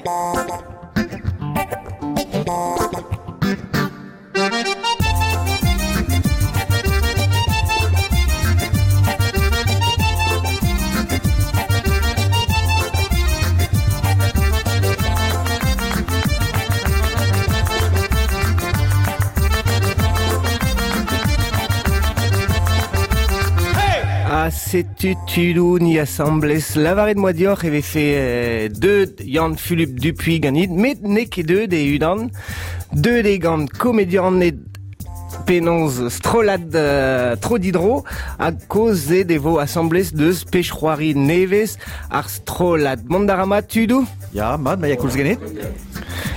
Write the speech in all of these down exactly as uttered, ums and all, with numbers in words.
Ha setu tudou ni asamblez lavaret moa dioc'h e vefe euh, deud Yann-Fulup Dupuy ganit, met n'eo ket deud e unan, deud e gant komedianed penaos strollad euh, tro didro a koz e devo asamblez deus pech c'hoari nevez ar strollad. Mont a ra mat tudou? Ya, mat, ma ya koulz ganit.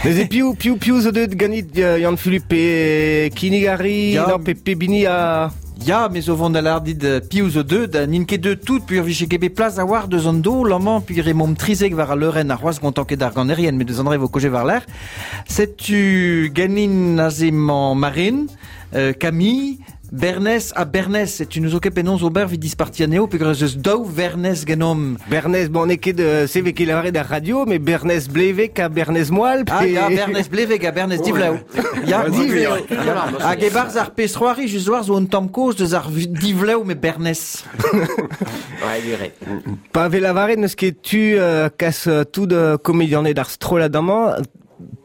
Neuze piou, piou, piou zo deud ganit euh, Yann-Fulup pe Kinigari, Ya. non, pe, pe bini a... Ya, me zo vont da lar dit euh, piou zo deud, ha n'int ket deud tout, puur vije ket bet plas a war deus an do, l'amañ puur e mom trizek war a leurenn ar c'hoazh gontan ket ar ganerien, met deus an dre vo koje war l'air. Setu ganin aze mañ Marine, euh, Camille, Bernez ha Bernez, setu nous zo ket penaos ober vid disparti anezho, peogwir ez eus daou Vernez genomp. Bernez, bon, n'eo ket euh, se vez ket lavaret ar radio, mais Bernez Blevek ha Bernez Moal. Ah, pe- ya, Bernez Blevek ha Bernez Divlev. Ya, Divlev. Ya. Hag e-barzh ar pezh c'hoari, just war zo un tamm kozh deus ar Divlev me Bernez. Ouais, dire. Pa vez lavaret n'eus ket tu euh, kas euh, tout euh, komedianed ar strollad amañ,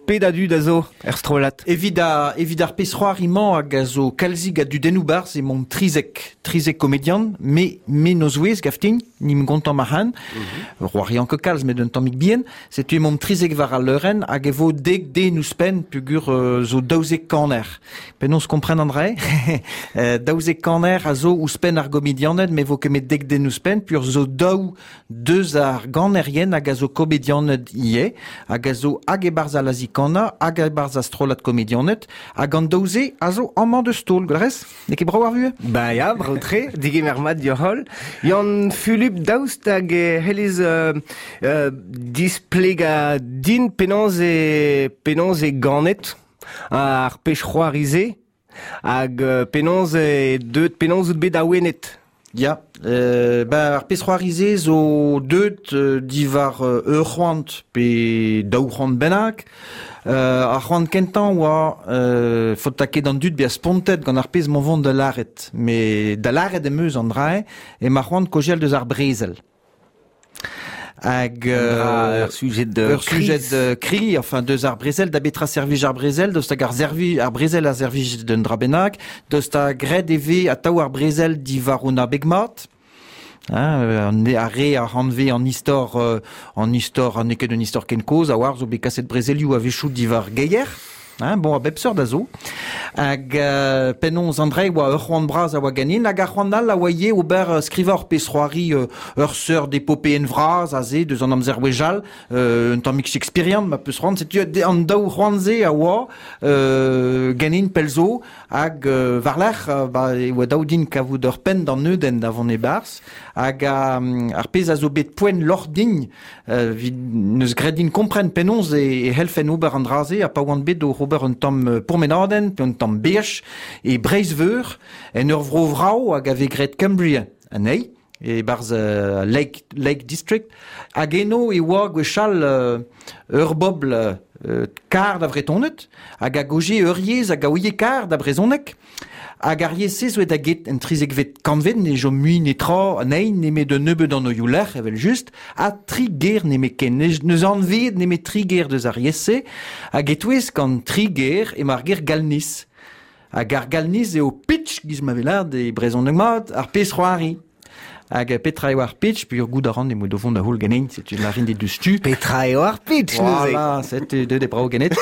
ped a dud a zo er strollad. Evit a, evit ar pezh c'hoari-mañ hag a zo kalzig a dudennoù barzh e mont trizek, trizek komedian, me, me noz ouez gaftin, nim gontan ma han, c'hoarian ket kalz met un tammig bihan, setu e mont trizek war al leurenn hag e vo dek den ouzhpenn pugur euh, zo daouzek kaner. Penaos kompren an dra-se? Euh, daouzek kaner a zo ouzhpenn ar gomedianed, me vo ket met dek den ouzhpenn, pur zo daou deus ar ganerien hag a zo komedianed ivez, hag a zo hag e-barzh al azi-kannañ, hag e-barzh ar strollad komedianed, hag an daou-se a zo amañ deus taol, gwellerez? N'eo ket brav ar vuhez? Ba ya, brav tre, digemer mat dioc'h. Yann-Fulup daoust hag e c'hellez euh, euh, displega din penaos e, penaos e ganet ar pech c'hoari-se hag euh, penaos e deut, penaos out bet awenet. Ya, euh, ba ar pezh c'hoari-se zo deut euh, diwar euh, ur c'hoant pe daou c'hoant bennak. Euh, ar c'hoant kentañ oa euh, faot ket an dud bezañ spontet gant ar pezh m'on vont da lâret. Mais da lâret em eus an dra-se e ma c'hoant kogel deus ar brezel. Hag euh, ur sujet de ur sujet de kri, enfin deus ar brezel, da betra servij ar brezel, deus hag ar servi ar brezel a servij d'un dra bennak, deus ta graet e vez atav ar brezel diwar un abeg mat. Hein, euh, an ar re a hanve an istor, euh, an istor, an ket un istor ken kozh, a war zo bet kaset brezelioù a-wechoù diwar geier. Hein, bon, a bep seurt a zo. Hag euh, penaos an dra oa ur c'hoant bras a oa ganin, hag ar c'hoant all a oa ivez ober euh, skrivañ ur pezh c'hoari euh, ur seurt epopeen vras aze deus an amzer wechall, euh, un tammig shakespearian ma peus c'hoant, setu an daou c'hoant-se a oa euh, ganin pell zo, hag euh, war-lerc'h, euh, ba, e oa daou din kavout ur penn d'an neudenn da vont e-barzh, hag a, ar pezh a zo bet poent loc'h din, euh, vid neus graet din kompren penaos e, e c'hellfen ober an dra-se, ha pa oan bet o ober un tamm euh, pourmenadenn, pe un tamm beaj, e Breizh-Veur, en ur vro vrav hag a vez graet Cumbria anezhi, e barzh euh, Lake, Lake District, hag eno e oa gwechall euh, ur bobl euh, kar da Vretoned, hag a goje ur yezh hag a ouie kar da brezhoneg, hag ar yezh-se zo da get en trizekvet kantved, ne chom mui netra anezhi, nemet un nebeud an oioù lec'h, evel just, ha tri ger nemet ken. Ne, neus anveet nemet tri ger deus ar yezh-se, hag e-touez gant tri ger emañ ar ger galniz. Hag ar galniz eo pitch, giz ma vez lâret e brezhoneg mat, ar pezh c'hoari. Hag petra eo ar pitch, puis ur goût a ran emañ o vont da houl ganin, setu larin dit deus tu. Petra eo ar pitch, neuze? Voilà, setu deut e brav ganet.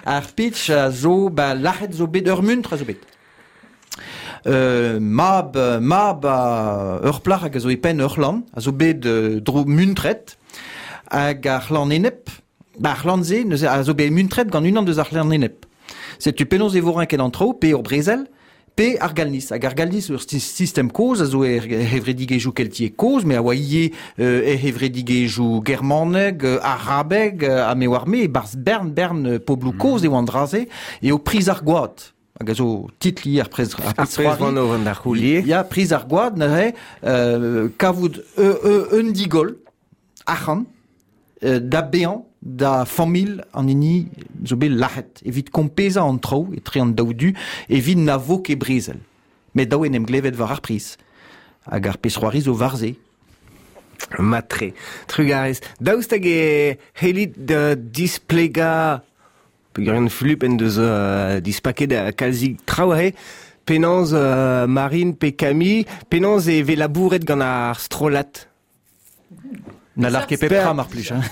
Ar pitch a zo, ba, lâret zo bet ur muntr a zo bet. Euh, mab, mab a ur plac'h hag a zo e penn ur c'hlan, a zo bet euh, dro muntret, hag ar c'hlan enep, ba ar c'hlan-se, neuze, a zo bet muntret gant unan deus ar c'hlan enep. Setu penaos e vo renket an traoù, pe ur brezel, pe ar galniz. Hag ar galniz ur sistem kozh a zo er hevredigezhioù keltiek kozh, me a oa ivez euh, er hevredigezhioù germaneg, euh, arabeg, euh, ha me oar me, e-barzh bern bern euh, pobloù kozh eo an dra-se, eo priz ar gwad. Hag a zo titl ivez ar prez, ar Ar pezh pezh c'hoari. vant o vont da c'houlier. Ya, priz ar gwad, neuze, euh, kavout euh, euh, un digol, arc'hant, euh, da bean da famil an hini zo bet lac'het evit kompeza an traoù etre an daou du evit na vo ket brezel. Met daou en em glevet war ar priz. Hag ar pezh-c'hoari zo war se. Matre. Trugarez. Daoust hag e c'hellit da displega peogwir Fulup en deus euh, dispaket a kalzik traoù aze, penaos euh, Marine pe Camille, penaos e vez labouret gant ar strollad. Na lar ket pep tra mar plij. Hein.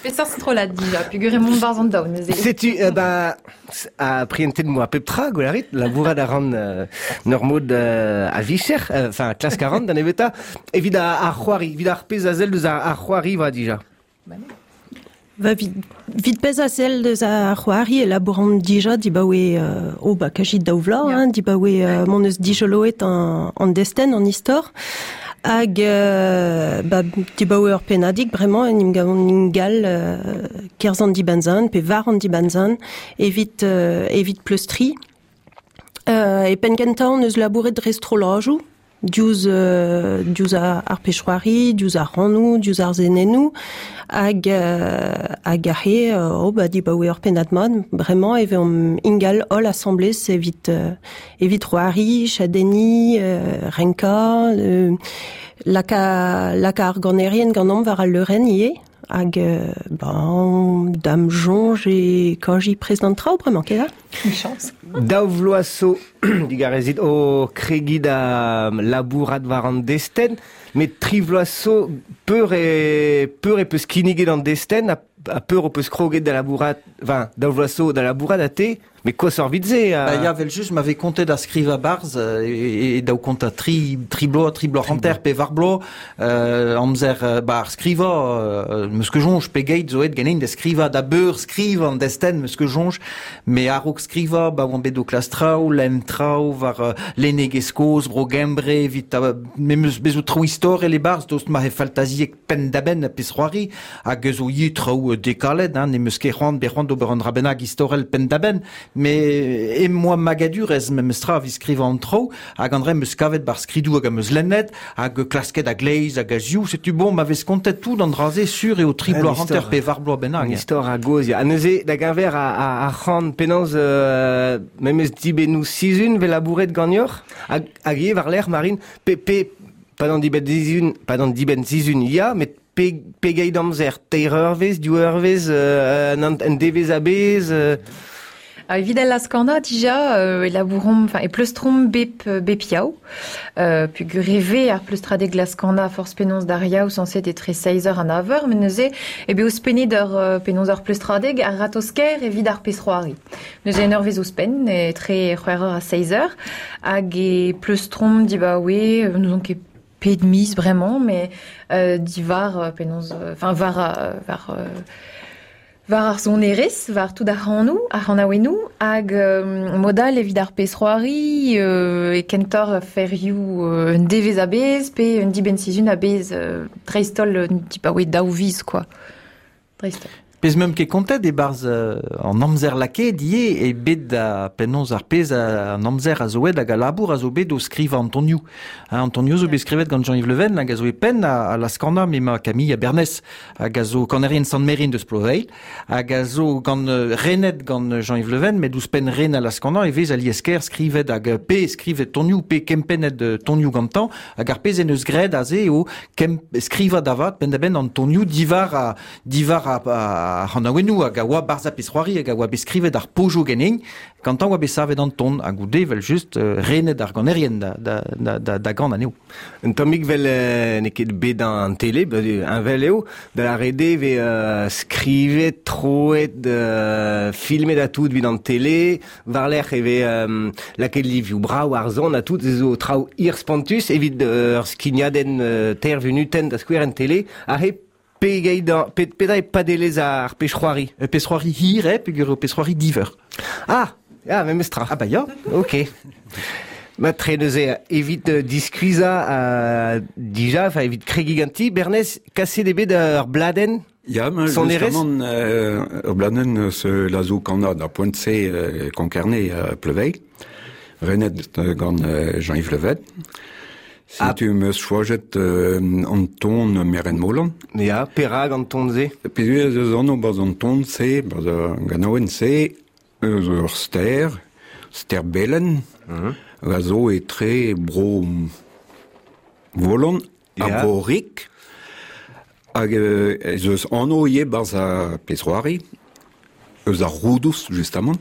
Peseurt strollad dija, peogwir emaon barzh an daou neuze. Setu, euh, ba, a prientet moa pep tra, gwelarit, labourat a ran euh, n'ur mod euh, a vicher, enfin, euh, klask a ran da nebeta, evit ar, ar c'hoari, evit ar pezh a sell deus ar, ar c'hoari va dija. Ba non. Va vid, vid pezh a sell deus ar c'hoari e labouran dija dibaoe euh, oh ba kajit daou vloaz, Ya. hein, dibaoe euh, m'hon eus dijoloet an, an destenn, an istor. Hag euh, ba, dibaoe ur pennadig bremañ en em gavont ingal euh, kerzh an dibenn-zan pe war an dibenn-zan evit, euh, evit pleustri. Euh, e penn kentañ hon eus labouret dre strollajoù, diouzh euh, diouzh ar, ar pezh-c'hoari, diouzh ar rannoù, diouzh ar senennoù, hag euh, hag aze euh, oh, ba, dibaoe ur pennad mat, bremañ e vezomp ingal holl asambles evit euh, evit c'hoari, chadenniñ, euh, renkañ, euh, laka, laka ar ganerien ganeomp war al leurenn ivez, hag euh, ben, da'm soñj e kaji prest d'an traoù bremañ, ket da? Une chance. Daou vloaz zo digarezit o kregiñ da labourat war an destenn, met tri vloaz zo peur e, peur e peus kinniget an destenn ha, ha peur o peus kroget da labourat, enfin, daou vloaz zo da labourat a te, met koshoc'h 'vit se a... Ba ya, vel just, m'avait kontet da skrivañ barzh e, e daou kontañ tri, tri bloaz, tri bloaz hanter pe var bloaz, euh, amzer euh, ba ar skrivañ, euh, meus ket soñj pegeit zo aet ganin da skrivañ da beur skrivañ an destenn, meus ket soñj, met a-raok skrivañ, ba oan bet o klask traoù, lenn traoù war euh, lennegezh kozh, bro Gembre, evit a, me meus bet zo traoù istorel e-barzh, daoust ma eo faltaziek penn-da-benn ar pezh-c'hoari, hag zo ivez traoù dekalet, hein, ne meus ket c'hoant, bet c'hoant d'ober un dra bennak istorel penn-da-benn, mais em boa magadurezh memes tra evit skrivañ an traoù, hag an dra em eus kavet bar skridoù hag am eus lennet, hag klasket a-gleiz hag a-ziou, setu bon, ma vez kontet tout an dra-se sur eo tri Un bloaz hanter istor. pe var bloaz bennak. An istor a gozh, ya. Ha neuze, da geñver a, a, ar c'han penaos euh, memes dibennoù sizhun 'vez labouret ganeoc'h, hag, hag ivez war-lerc'h, Marine, pe, pe, pas d'an dibenn sizhun, pas d'an dibenn sizhun, ya, met pe, pegeit amzer, teir eurvezh, div eurvezh, euh, un, un devezh a-bezh, euh, Ah, evit al laz-kanañ dija euh, e labouromp, enfin, e pleustromp bep, bep yaou. Euh, peogwir e vez ar pleustradeg laz-kanañ forzh penaos d'ar yaou sañset etre seizh eur ha nav eur, met neuze e bet ouzhpennet ur euh, penaos ur pleustradeg ar ratozh-kaer evit ar pezh-c'hoari. Neuze un eurvezh ouzhpenn, etre c'hwec'h eur ha seizh eur, hag e pleustromp dibaoe, euh, n'ouzon ket pet miz bremañ, met euh, diwar euh, penaos, enfin, war, euh, war euh, war ar sonerezh, war tout ar c'hanoù, ar c'hanaouennoù, hag euh, mod-all evit ar pezh-c'hoari, euh, e kentoc'h ferioù euh, un devezh a-bezh, pe un dibenn-sizhun a-bezh, euh, dreist-holl un dibaoe daou viz, quoi. Dreist-holl. Pezh meump ket kontet e-barzh euh, an amzer lakaet ivez e bet da penaos ar pezh a, an amzer a zo aet hag a labour a zo bet o skrivañ an tonioù. Hein, an tonioù zo bet skrivet gant Jean-Yves Le Ven hag a zo e penn a, a laz-kanañ m'emañ Camille Bernès hag a zo kanerien Sant-Meryn deus Ploveilh hag a zo gant euh, renet gant Jean-Yves Le Ven met ouzhpenn ren a laz-kanañ e vez alies-kaer skrivet hag pe skrivet tonioù pe kempennet euh, tonioù gantañ hag ar pezh en eus graet aze eo kem, skrivañ da vat penn-da-benn an tonioù diwar a, diwar a, a, ar c'hanaouennoù hag a oa barzh ar pezh-c'hoari hag a oa bet skrivet ar pojoù ganin, gantañ oa bet savet an ton hag goude vel just euh, renet ar ganerien da, da, da, da, da gant anezho. Un tammig vel euh, n'eo ket bet an tele, ba, un vel eo, da la rede ve euh, skrivet, troet, euh, filmet a tout evit an tele, war-lerc'h e vez euh, lakaet livioù brav ar zon a tout, zo traoù hir spontus evit euh, ur skignadenn euh, teir vunutenn da skouer en tele, aze pegeit an, pe, petra e padelezh ar pezh-c'hoari. E pezh-c'hoari hir eo, peogwir eo pezh-c'hoari div eur. Ah, ah, memes tra. Ah bah ya. Ok. Ma tre neuze, evit euh, diskuizhañ euh, dija, enfin evit kregiñ ganti, Bernez, kaset eo bet ur bladenn? Ya, ma, Sonerezh? justement, euh, ur bladenn eus lazoù-kanañ da poent-se euh, Konk-Kerne à Pleuveilh, renet euh, gant euh, Jean-Yves Le Ven. Setu meus choajet euh, an ton Meren Molan. Ya, perag an ton ze? Pe eus anv baz an ton se, baz ar ganaouenn se, eus ur ster, ster belen, mm-hmm. a zo etre bro Volan ha yeah. bro Rik, hag ez eus anv ivez barz ar pezh-c'hoari, eus ar Roudouz, justement.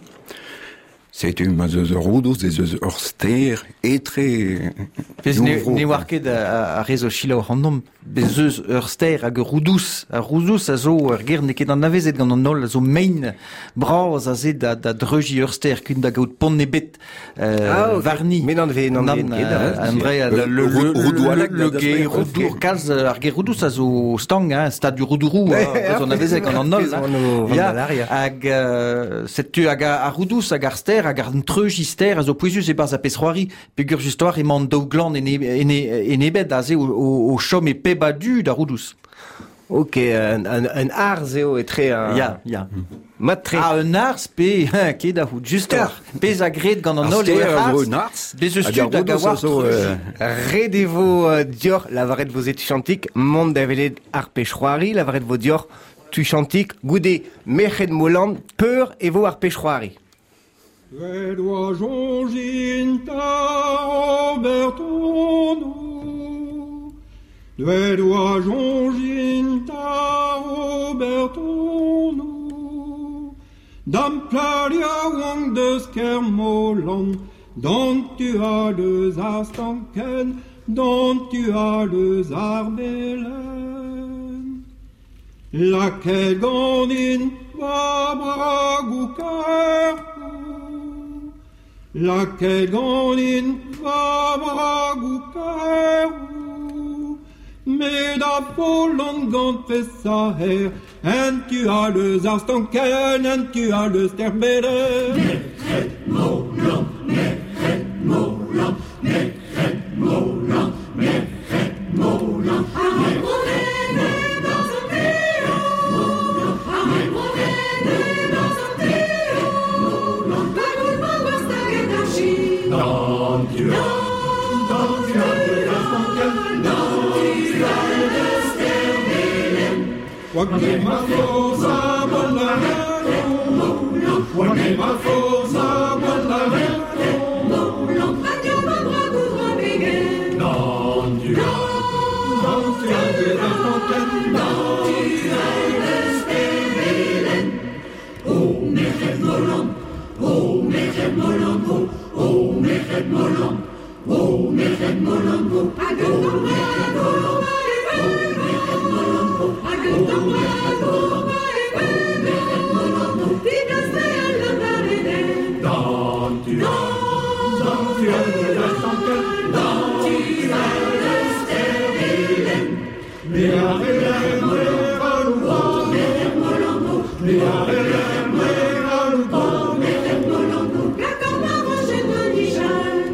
Setu ma eus ur Roudouz, ez eus ur ster etre... Pez ne, ne oar ket a, a rez o selaou ac'hanomp, bez eus ur ster hag ur Roudouz. Ar Roudouz a zo ur ger n'eo ket anavezet gant an holl, a zo mein bras a ze da, da dreuji ur ster kun da gaout pont ebet euh, ah, okay. Varni. Mais n'en ve, n'en ve ket. André, le, le, le, le ger Roudour, kalz ar ger Roudouz a zo stang, hein, stad du Roudourou, hein, zo anavezet gant an holl. Ya, hag setu hag ar Roudouz hag ar ster hag ar treuji ster a zo pouezus e-barzh ar pezh-c'hoari, peogwir just war emañ an daou glan en, en, en ebet aze o, o, o chom e peb a du da Roudouz. Ok, un, un, un arz eo etre un... Ya, ya. Mat-tre. Ah, un arz pe, ket da c'hout, just ar. Pezh a gred gant an holl eo ar un arz, bez eus tud hag a oar euh... Ret e vo dioc'h lavaret vo ze tuchantik, mont da welet ar pezh-c'hoari, lavaret vo dioc'h tuchantik, goude merc'hed Molan, peur e vo ar pezh-c'hoari. Red oa jonjin ta Robertonou, Red oa jonjin ta Robertonou, Dam plaria wang deus Kermolan, Dont tu a deus ar stanken, dont tu a deus ar belen. Laquelle ganin va bragou ker, Laquelle ganin va bragou kerou, Me da folon gant pesa her, En tu a leus ar stanken, en tu a leus terbelen. Merc'hed Molan, merc'hed Molan, merc'hed Molan, merc'hed Molan, Wagner ma forza bollarello, Wagner ma forza bollarello, Non tu non tu as de la fontaine, non tu as de Sterbelen. Oh merc'hed Molan, oh merc'hed Molan, oh, oh merc'hed Molan, oh merc'hed Molan, oh, oh merc'hed Molan, oh merc'hed Molan, oh, oh merc'hed Molan, oh merc'hed Molan, oh, non tu as, non tu as de la fontaine, non tu as de Sterbelen. Me a relem, me a oh merc'hed Molan, oh, me a relem, me a oh merc'hed Molan, oh,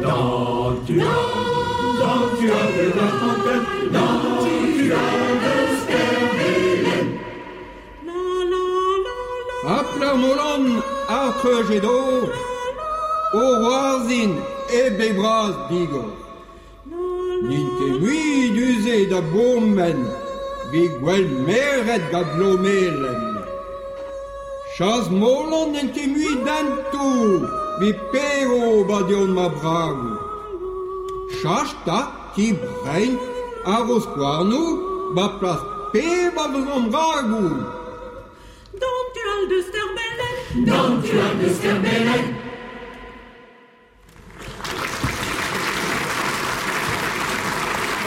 non tu as, non tu as de la fontaine, non tu as de Sterbelen. A Plermolan, ar treujedo, o roazin e bebraz digor. N'int ket mui duze da bourmen, vi gwell meret gant lomelen. Chas Molan n'int ket mui dentou, vi pero badion ma bragou. Chach ta ti brein ar o skouarnou, ba plas pe ba vezon bragou. Dont tu al de Sterbelen, dont tu al de Sterbelen.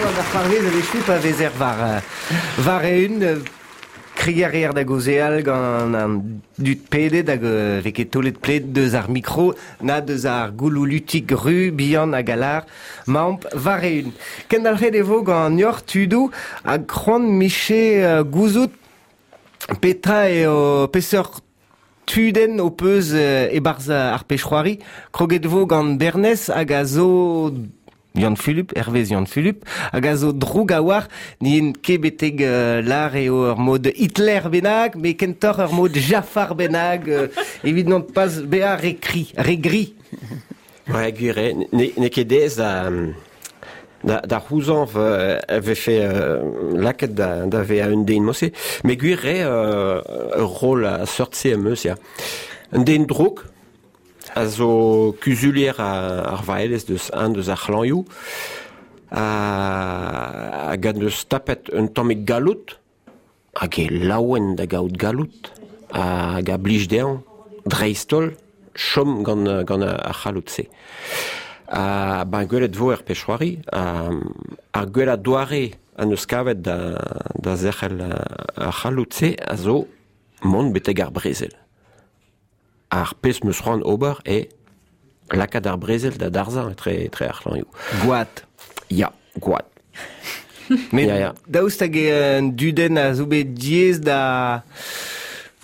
An ar c'hoarvez a vechu pa vezer var, var eun, krier da gozeal gant an dud pedet hag vez ket tolet pled deus ar mikro, na deus ar goulou lutik ru, bihan hag alar, maomp var eun. Kendalc'het e vo gant ur tudou hag c'hoant miche gouzout petra eo peseurt tudenn o peus e-barzh ar pezh-c'hoari, kroget vo gant Bernez hag a zo Yann-Fulup, Hervez Yann-Fulup, hag a zo droug a war, n'in ket betek uh, lar eo ur mod Hitler bennak, met kentoc'h ur mod Jafar bennak, uh, evit non pas bezañ re kri, re gri. Ouais, gwir eo, ne, ne ket aes da, Da, da c'houzañv euh, vefe euh, laket da, da ve a un den mosse. Me gwir re euh, ur rôle a seurt se am eus, ya. Un den drouk, a zo kuzulier a, ar vaelez deus un deus ar c'hlañioù, a, hag an deus tapet un tammig galout, hag e laouen da gaout galout, hag a blij dezhañ, dreist-holl, chom gant, gant ar c'halout-se. A ben gwelet vo er pech'hoari, ar gwell a doare an eus kavet da, da zerc'hel ar c'halout-se a zo mont betek ar brezel. Ar pezh meus c'hoant ober e lakaat ar brezel da darzañ etre, etre ar c'hlañioù. Gwad. Ya, gwad. Mais Ya, ya. daoust hag eo un dudenn a zo bet diaes da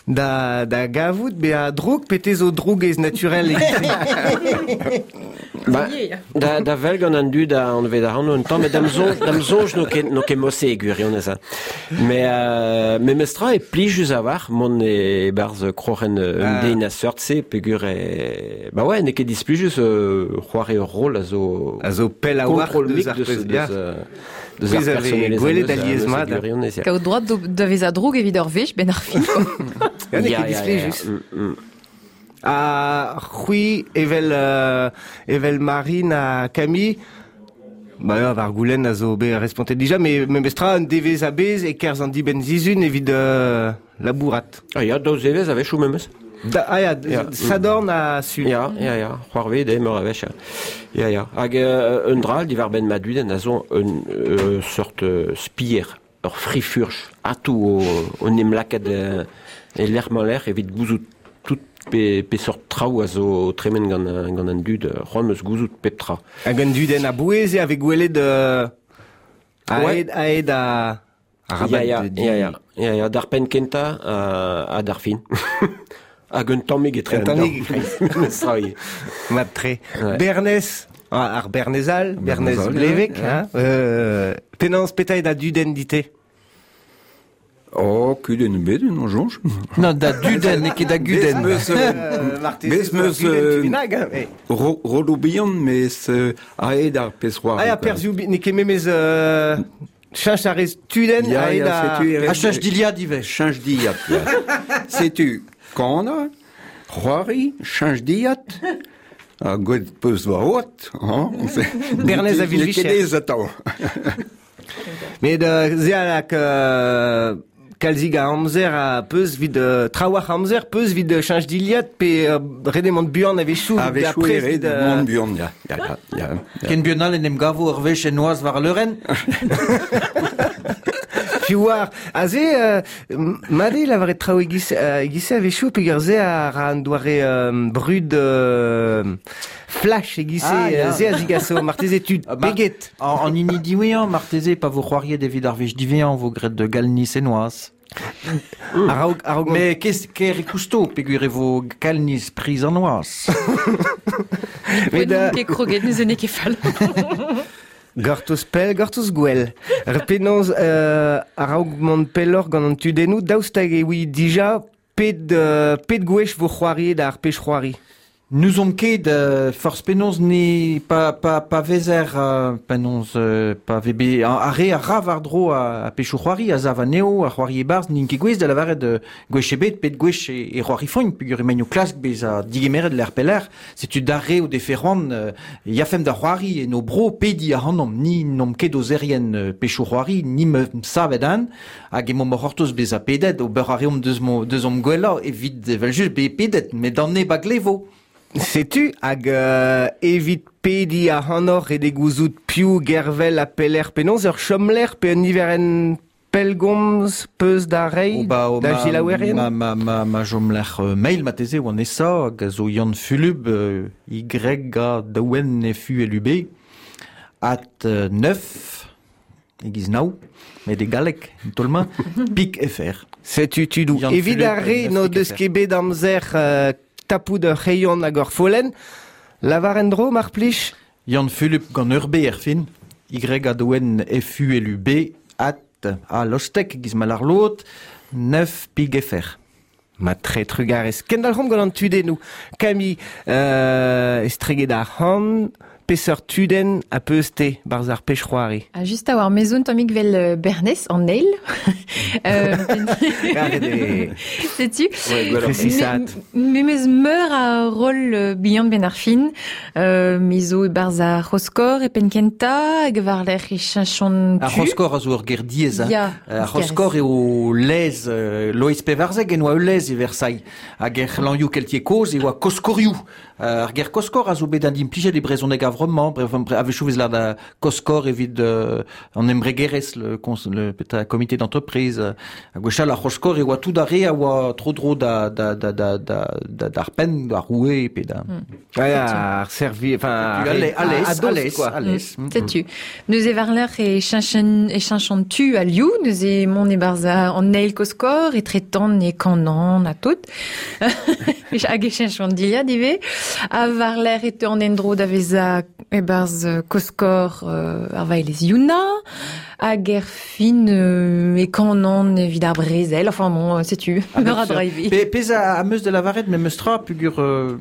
da da gavout be a droug pete zo droug ez naturel e Ba, da, da vel gant an dud a anvet ac'hano un tamm, met da'm soñj, da'm soñj n'o ket, n'o ket mosse e gwirionez. Hein. Mais, euh, me mestra e plijus a-walc'h mont e barzh kroc'hen un Ah. den a seurt-se peogwir e... Ba ouais, n'eo ket displijus euh, c'hoari ur rôle a zo... A zo pell a-walc'h Kontrol deus mik ar deus, pezh deus, ya. euh, deus Pezh ar a vez personelezh gwelet am eus, alies am eus e mat. gwirionez, ya. Kaout droad da vezañ droug evit ur wech, ben ar fin. quoi. Ya, n'eo Ya, ket ya, ya, ya. displijus. Mm, mm. Ha c'hwi evel euh, evel Marine ha Camille, ba ya, war goulenn a zo bet respontet dija, mais memestra un devezh a bez e kerzh an dibenn zizun evit euh, labourat. Ah ya, daou zevezh a-wechoù memes. Da, ah ya, Ya. Sadorn ha Sul. Ya, ya, ya, c'hoarvez eo meur a wech. Ya, ya. ya. Hag euh, un dra diwar benn ma dudenn a zo un euh, seurt euh, spier, ur frifurch, atou o, o nem lakaat euh, e lec'h mañ lec'h evit gouzout tout pe, pe seurt traoù a zo tremen gant, gant an dud, c'hoant eus gouzout pep tra. Hag un dudenn a bouez eo a vez gwelet euh, Ouais. aet, aet a... Ya, ya, ya, ya, ya, ya, d'ar penn kentañ ha, ha d'ar fin. Hag un tammig etre Un tammig e-kreiz. Mestra, ivez. Mat tre. Ouais. Bernez, ah, ar Bernezal, Bernez Bernezal, Blevek, ouais. hein, euh, penaos petra eo da dudenn dite. Oh, kudenn ebet, non soñj. Non, da dudenn, n'eo ket da gudenn. Bez meus, euh, Euh, marteze bez meus, gudenn euh, tu bennak, hein, mais- ro- Rolo bihan, mes euh, aet ar pezh c'hoari. Ah ya, quoi. perzhioù bi- n'eo ket memez euh, cheñch a rez tudenn Ya, aet ya, a... setu e A cheñch dilhad ivez. Cheñch dilhad, ya. Setu kana, c'hoari, cheñch dilhad, ha gwelet peus war oat, hein? Bernez a N'eo ket vil-vicher. aes atav. Met euh, ze a lak euh, kalzig a amzer a peus vid euh, trawalc'h amzer peus vid euh, cheñch dilhad pe euh, ret eo mont buan a-wechoù A-wechoù e ret euh, mont buan, ya, ya, ya, ya. Ken buan all en em gavo ur wech en noazh war leurenn. Piv war. Aze, euh, mat eo lavaret traoù e-giz euh, e-giz-se a-wechoù peogwir se a ra an doare euh, brud euh, flash e-giz-se Ah, ya. euh, se a zigaso marteze tud Ah, mar- peget. En, en hini diwezhañ, marteze, pa vo c'hoariet evit ar wech diwezhañ, vo graet de galniz e noazh. A-raok a-raok mont- Mais qu'est-ce ker e kousto, peogwir e vo galniz priz an noazh. Met, N'on euh, ket kroget, neuze n'eo ket fall. Gortoz pell, gortoz gwell. Ar penaos euh, a-raok mont pelloc'h gant an tudennoù, daoust hag e oui dija pet, euh, pet gwech vo c'hoariet ar pech c'hoari. Nous omp ket euh, forzh penaos ne pa, pa, pa vezer euh, penaos euh, pa vebe ar re a ra war-dro a, a pechoù c'hoari a zav anezho a c'hoari e-barzh n'int ket gouez da lavaret euh, gwech ebet pet gwech e, e c'hoari foñ peogwir emaint o klask bezañ digemeret l'er peller setu d'ar re o defe c'hoant euh, yafemp da c'hoari en o bro pedi ac'hanomp ni n'omp ket ozerien euh, pechoù c'hoari ni me savet an hag emaomp o c'hortoz bezañ pedet ober a reomp deus mo deus omp gwellañ evit evel-just be pedet met d'an neb a glevo. Setu hag euh, evit pedi ac'hanoc'h ret eo gouzout piv gervel ha peller penaos ur chomlec'h pe un niverenn pellgomz peus da reiñ Oh, ba, oh, da ma, gilaouerien ma, ma, ma, ma chomlec'h euh, mail mateze oan esa hag a zo Yann Fulub euh, Y A D N F U L U B at euh, neuf egiz nao met e galleg en tolma pik F R. Setu tudou. Yann Evit Fulub, ar re neuf n'o pik deus F R. ket bet amzer euh, tapout ur c'hreion hag ur follenn, lavar en-dro mar plij. Yann Fulub gant ur B er fin Y A D N F U L U B at a lostek egiz ma lar lot neuf pik F R. Ma tre trugarez. Kendalc'homp gant an tudennoù. Camille, euh, estreget ar c'han, peseurt tudenn a peus te barz ar pech c'hoari. Ah, just a war mezoun tammig vel euh, Bernez an eil. euh, Setu. Precisat. Me mez meur a rol euh, bihan ben ar fin. Euh, mezo e barz ar Roskor e penkenta, hag war l'er e chinchon tu. Ar Roskor a zo ur ger diez. Ya, Ar Roskor eo lez, euh, Loeiz Pevarzeg en oa ul lez e Versailles. Hag er c'hlanioù keltiek kozh e oa koskorioù. Euh, ar ger koskor a zo bet an implijet e brezhoneg a vremañ, bre, bre, a-wechoù vez lâret da koskor evit euh, an embregerezh, le, cons, le peta, comité d'entreprise. Hag gwechall ar Roskor e oa tout ar re a oa tro dro da, da, da, da, da, da, d'ar penn, d'ar roue, pe da... Mm. Ouais, ar servi, enfin, A, a, a, a, a, quoi. A lez. Mm. Setu. Neuze war l'er e chinchon, e chinchon tu a liou, neuze mont e barz an eil koskor, e tretan e kanan a tout. Hag e chinchon diliad ivez. A war l'er e an endro da veza e barz koskor euh, ar vaelez Yuna, hag er fin euh, e kanan evit ar brezel, enfin bon, setu, meur a dra ivez. Pe, pez a, a meus de lavaret, me meus tra pugur... Euh...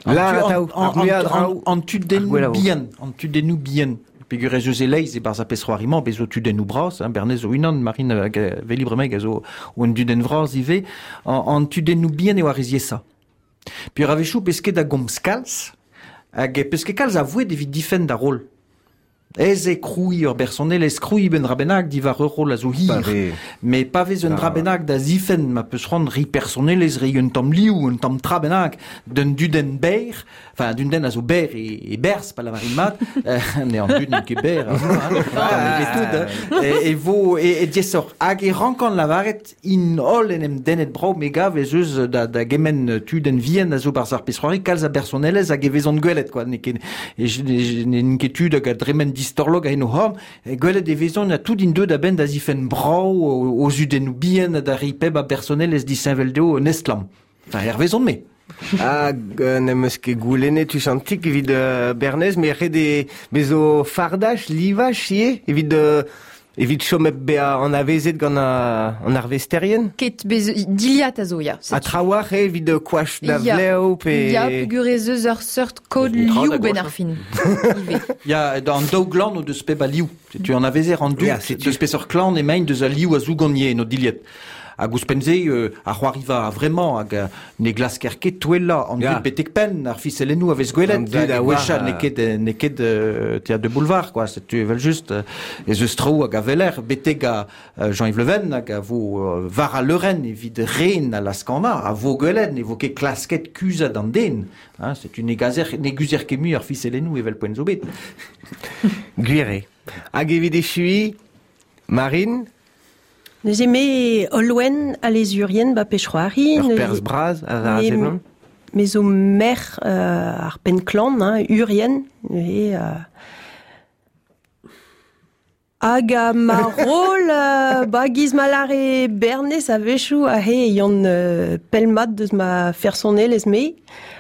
La, an, an, an, an, an tudennoù bihan, an tudennoù bihan. Pegur ez eus e leiz e barz a pez c'hoarimañ, bez zo tudennoù bras, hein, Bernez zo unan, Marine hag veli bremañ a zo un dudenn vras ivez, an, an tudennoù bihan eo ar reziesa. Puis a-wechoù pez ket a gomz kalz, hag pez ket kalz a voed evit difenn da rol. Ez e kroui ur bersonel, ez kroui ben drabenag diwar ur rol a zo hir. Mais pa vez un ah. drabenag da zifen, ma peus c'hoant ri personel ez ri un tamm liou, un tamm trabenag, d'un dudenn ber, enfin d'un den a zo ber e, e berz, pa lavarin mat, euh, ne an duden ket ber, hein, hein, e, e vo, e, e diesor, hag e rankan lavaret in holl en em dennet brao megav ez eus da, da gemen tudenn vien a zo barz ar pez c'hoari, kalz a bersonelez hag e vezont gwelet, quoi, ne ket, e, ne, ne ket tud hag a dremen distorlog a en o horn, gwelet e vezont a tout in deud a ben da zifen brao o, o zudennoù bihan da ri peb a bersonelez disheñvel dezho un estlamm. Enfin, er vezont me. Hag euh, n'em eus ket goulennet tuchantik evit euh, Bernez, mais ret e bezo fardach, livach ivez, evit euh, evit chom hep bezañ an avezet gant a, an arvesterien. Ket bez diliat a zo, ya. A trawar eo evit euh, koach da vlev pe... Ya, pegur ez eus ur seurt kod liou ben ar fin. Ya, an daou glan o deus peb a liou. Tu en avezer an dud, deus peseurt klan emaint deus a liou a zougonier no diliet. Hag ouzhpenn-se euh, ar c'hoariva vraiment hag euh, ne glasker ket touellañ an dud betek penn ar fiselennoù a vez gwelet hag gwechall n'eo ket n'eo ket euh, théâtre de boulevard quoi, setu evel just euh, ez eus traoù hag a veler betek a euh, Jean-Yves Le Ven hag a vo euh, war a leurenn evit ren a laskana a vo gwelet ne vo ket klasket kuzhat an den, hein, setu ne gazer ne guzer ket mui ar fiselennoù evel poent zo bet. Gwir eo. Hag evit echui Marine. Neuze me Olwen a lezurien ba pech c'hoari. Ur perz braz a ar seblant. Me zo mer euh, ar penn klan, hein, Urien. E, euh... Hag a ma rol, euh, ba giz ma lare Bernez a-wechoù a he yann euh, pelmat deus ma fersonelez me,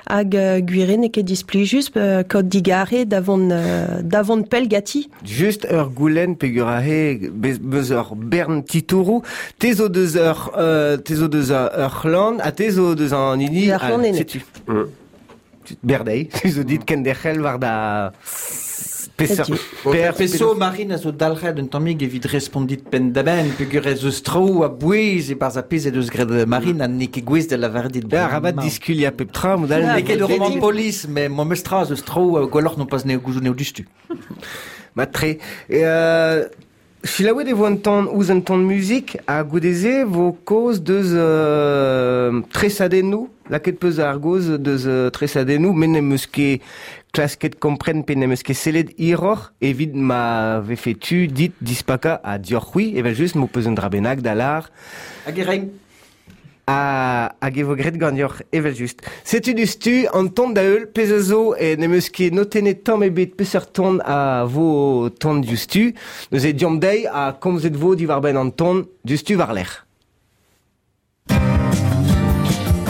hag euh, gwire n'eo ket displijus euh, kaout digare davant, euh, davant pell gati. Just ur goulenn pegur a he bez, beus ur bern titourou, te zo deus ur, euh, te zo deus ur c'hlan, ha te zo deus an hini... Ar c'hlan ene. Setu. Mm. Berdei, te zo dit kenderc'hel war da... Peseurt Per peso Marine a zo dalc'het un tammig evit respondit penn da benn peogwir ez eus traoù a bouez e barzh ar pezh ez eus graet Marine ha n'eo ket gouest da lavaret dit. Da rabat diskuliañ pep tra mod all. N'eo ket ur roman polis mais mo meus tra eus traoù gwelloc'h non pas n'eo gouzout n'eo dustu. Mat-tre. Euh, Selaouet e vo un ton ouzh un ton muzik ha goude-se vo kaoz deus euh, tresadennoù, lakaet peus ar gaoz deus euh, tresadennoù, met n'em eus ket klasket kompren pe n'em eus ket sellet hiroc'h evit ma vefe tu dit dispakañ ha dioc'h c'hwi, evel just m'ho peus un dra bennak da lar. Hag e rein. Ha, hag e vo graet ganeoc'h, evel just. Setu dustu an ton da heul, pezh a zo e n'em eus ket notennet tamm ebet peseurt ton a vo ton diouzhtu. Neuze diomp dezhi ha komzet vo diwar-benn an ton diouzhtu war-lerc'h. Thank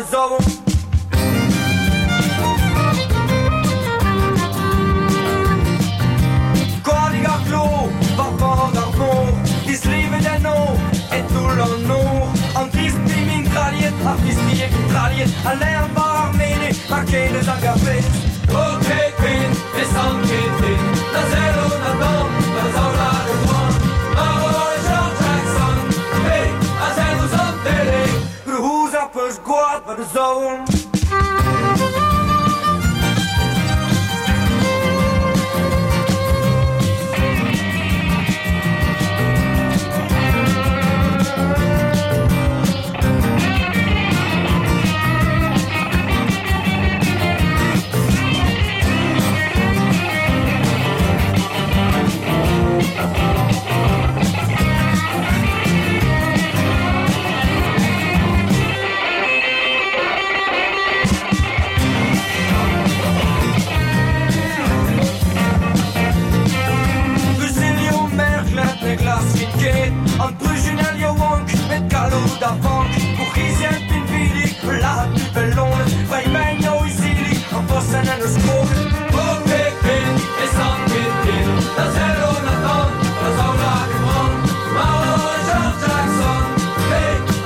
war zo. Koadig ar klo, war bord ar mor, dislivet en o, et toull an nor. An dispi min traliet, ar dispi e min traliet, a l'air war ar mene, mar kenez hag ar fez. O kepin, e sant ketin, na zello na dan, na zaula de poan. Maro e Jean Jackson, pe a zello zan tele, Gruhuz ar peus gwad war de zon. An brujunel yaouank, met galloud ar vank. Bourc'hizien pinvidik, lahat du bellonet, Braimen yo izili, an vosen en eus kroget. O pepin, e sant pintin, na zello na dan, na zaula de brand. Maro e Jean Jackson, pe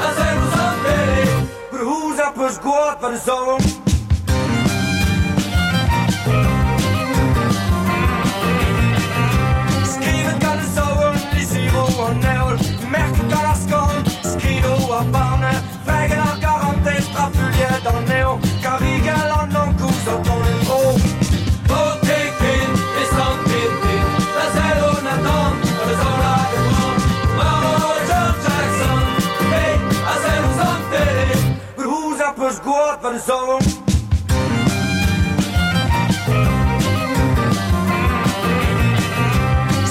a zello zan tele, Gruhuz ar peus gwad war de zon. Skrivet gant e zaouarn, lizhiro an heol, merk gant ar skorn, skrido ar barne, fregen ar garantez, trafuliet an eo, karigel an ankou zo ton en dro. O tekin, e sant pintin, na zello na dan, na zaula de brand. Maro e Jean Jackson, pe a zello zan tele, Gruhuz ar peus gwad war de zon.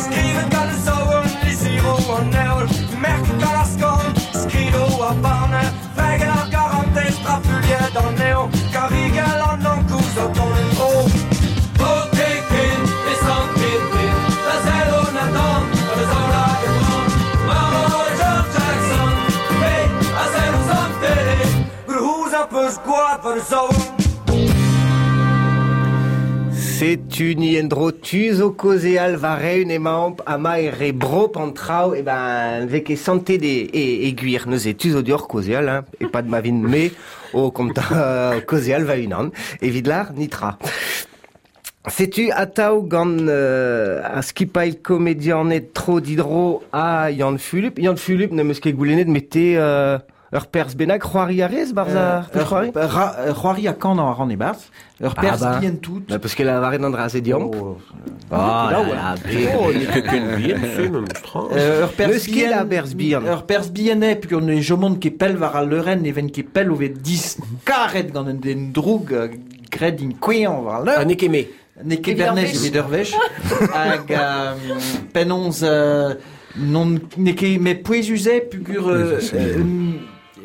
Skrivet gant e zaouarn, lizhiro an heol, merk gant ar skorn, skrido ar barne, fregen ar garantez, trafuliet an eo, karigel an ankou zo ton en dro. O tekin, e sant pintin, na zello na dan, na zaula de brand. Maro e Jean Jackson, pe a zello zan tele, Gruhuz ar peus gwad war de zon. Setu ni endro tu zo kozeal war eun emaomp ama e re brop an trao, e ben vek e sante de e, e gwir. Neuze tu zo dior kozeal, hein, e pad ma vin me o konta uh, kozeal va unan, evit lar nitra. Setu atao gant euh, a skipail komedianet tro didro a Yann Fulup. Yann Fulup ne meus ket goulennet mete euh, ur perz bennak c'hoari a rez barz ar Euh, c'hoari? ur ra- c'hoari a kan an e barz, ur Ah perz bah. bien tout. Bah, parce que la varet an dra se diomp. Oh, Ah, là, là, ouais. là, be- Oh, n'eo ket ken bihan, se, memes tra. Euh, ur perz N'eus ket a berz bihan. Ur perz bihan eo, pugur ne jomont ket pell war al leurenn, even ket pell o vet dis karet gant un den droug euh, graet din koueañ war al Ah, leur. n'eo ket me. N'eo ket Evit ur Bernez wech. evit ur wech. Hag euh, penaos euh, non n'eo ket me pouezus eo pugur euh, euh,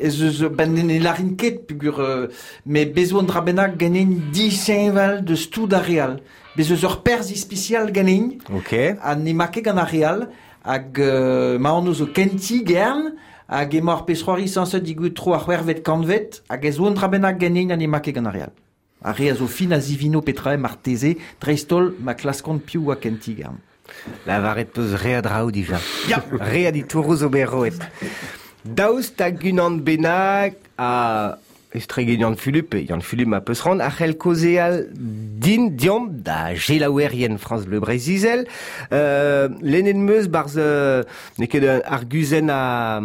ez eus ben ne larin ket pugur euh, me bezo an dra bennak ganin disheñvel deus tout ar real. Bez eus ur perz ispisial ganin. Ok. Ha ne ma ket gant ar real hag euh, ma an zo kenti gern hag emañ ar pezh c'hoari sañset digout tro ar c'hwervet kantvet hag ez oan dra bennak ganin ha ne ma ket gant ar real. Ar re a zo fin a zivino petra eo marteze, dreist-holl ma klaskont piv oa kenti gern. La varet peus re a draoù dija. Ya. Re a ditouroù zo berroet. Daoust hag unan bennak a estregen Yann Fulup, Yann Fulup a peus ran, a c'hell kozeal din diomp da gelaouerien France Bleu Breizh-Izel. Euh, lennet meus barz euh, n'eo ket un arguzenn a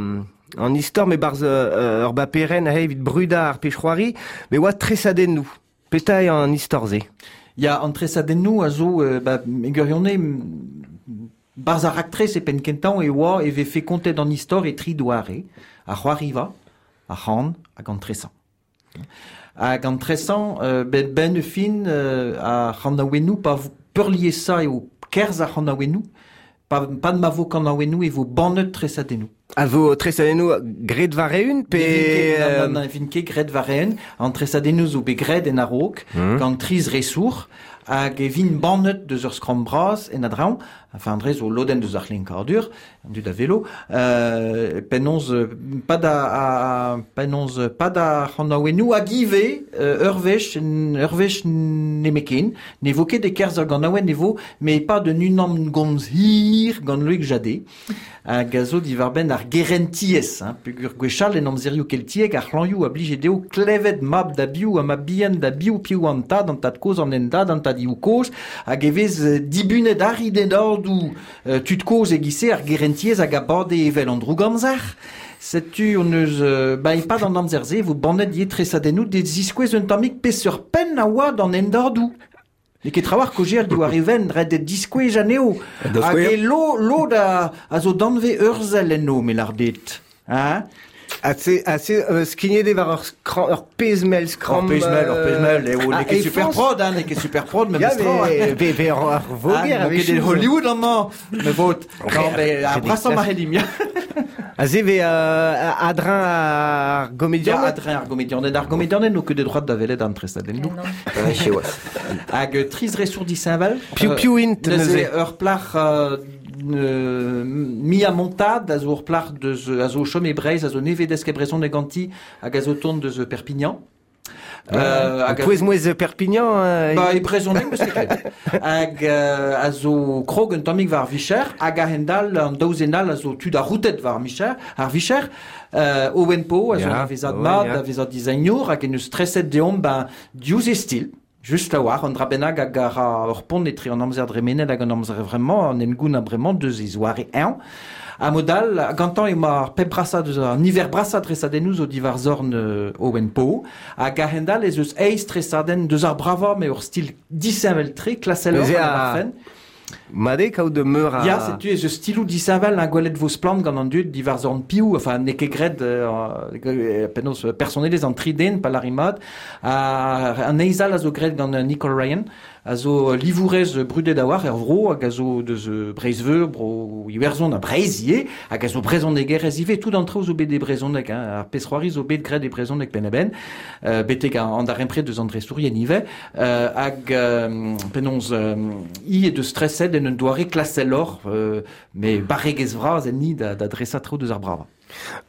an istor, me barz euh, ur baperen a evit bruda ar pech c'hoari, me oa tresadennoù. Peta eo an istor ze. Ya an tresadennoù a zo euh, ba, e gwirionez barz ar raktres e penn kentañ e oa e vefe kontet an istor e tri doare, ar c'hoariva, ar c'han hag an tresañ. Hag an tresañ, euh, ben, ben e fin euh, ar c'hanaouennoù pa vo peurliesañ eo kerzh ar c'hanaouennoù, pa, pa ma vo kanaouennoù e vo bannet tresadennoù. A vo tresadennoù graet war eeun pe... Ne vin ket, nan, nan, vin ket graet war eeun, an tresadennoù zo bet graet en a-raok, Hmm. gant triz resour, hag e vin bannet deus ur skramm bras en adraoñ, enfin dre zo lodenn deus ar c'hlinkadur, an dud a velo, euh, penaos pa da a, penaos pa da c'hanaouennoù hag ivez euh, ur wech ur wech nemeken, ne vo ket e kerzh ar ganaouenn ne vo, mais pas de unan gomz hir gant Loïc Jadé, hag a zo diwar-benn ar gerentiez, hein, peogwir gwechall en amzerioù keltiek ar c'hlañioù a blije dezho klevet mab da biv ha mab bihan da biv piv an tad, an tad kozh, an endad, an tad ioù kozh, hag e vez dibunet arri den ordoù euh, tud kozh e-giz-se ar gerentiez hag a bade evel an droug-amzer. Setu on eus euh, ba e-pad an amzer-se vo bannet ivez tresadennoù de ziskouez un tammig peseurt penn a oa d'an endordoù. N'eo ket trawalc'h kaozeal diwar e venn, ret eo diskouez anezho. Hag e lo, lod a, a zo danvez urzhel enno, me lâr dit. Hein? Assez, assez euh, skignet eo war ur skramm, ur pezh-mell skramm. Ur pezh-mell, ur pezh-mell, eo, n'eo ket ah, super prod, hein, n'eo ket super prod, Ya, memestra. mais be, be ur, ur voger Ah, n'eo ket a-wechoù. Hollywood amañ, me vot. Non, mais ar brasañ ma c'hellimp, ya. Aze ve euh, adrin ar Ya, gomedian. adrin ar gomedianed, ar gomedianed n'o ket de droit da welet an tresadennoù. Ouais, siwazh. Hag euh, triz resour disheñvel. Piv Euh, piv int Neuze neuze. ur plac'h euh, euh, Mia Montade a zo ur plac'h deus a zo chom e Breizh, a zo nevez desk e brezhoneg ganti hag a zo tont deus Perpignan. Euh, hag a- Pouez-mouez Perpignan. Euh, Ba, e brezhoneg meus ket klevet. Hag euh, a zo krog un tammig war ar vicher, hag a-hend-all an daouzenn all a zo tud arroutet war ar micher, ar vicher, euh, Owen Po, a zo Ya, da vezañ Owen, mat, ya. da vezañ designour, hag en eus streset deomp ben, diouzh e stil. Just a-walc'h, an dra bennak hag a ra ur pont etre an amzer dremenet hag an amzer vremañ, an engoun a bremañ deus e zoare eñ. A modal, gantañ emañ ar pep brasañ deus ar niver brasañ tresadennoù zo diwar zorn euh, Owen Po, hag a-hend-all ez eus eizh tresadenn deus ar bravañ, mais ur stil disheñvel-tre, klaseloc'h Neuze an a- ar fen. Mat eo kaout meur a... Ya, setu ez eus stiloù disheñvel un gwelet vo splann gant an dud diwar zorn piv, enfin n'eo ket graet euh, penaos personelezh an tri den pa lâri mat. Ha an eizh all a zo graet gant Nicole Ryan, a zo livourez brudet a-walc'h er vro, hag a zo deus Breizh-Veur, bro Iwerzhon ha Breizh ivez, hag a zo brezhonegerez ivez, tout an traoù zo bet e brezhoneg, hein, ar pezh-c'hoari zo bet graet e brezhoneg penn-a-benn, euh, betek an darempred deus an drestourien ivez, euh, hag euh, penaos euh, i e deus streset en un doare klaseloc'h, euh, mais barregezh vras enni da, da dresañ traoù deus ar bravañ.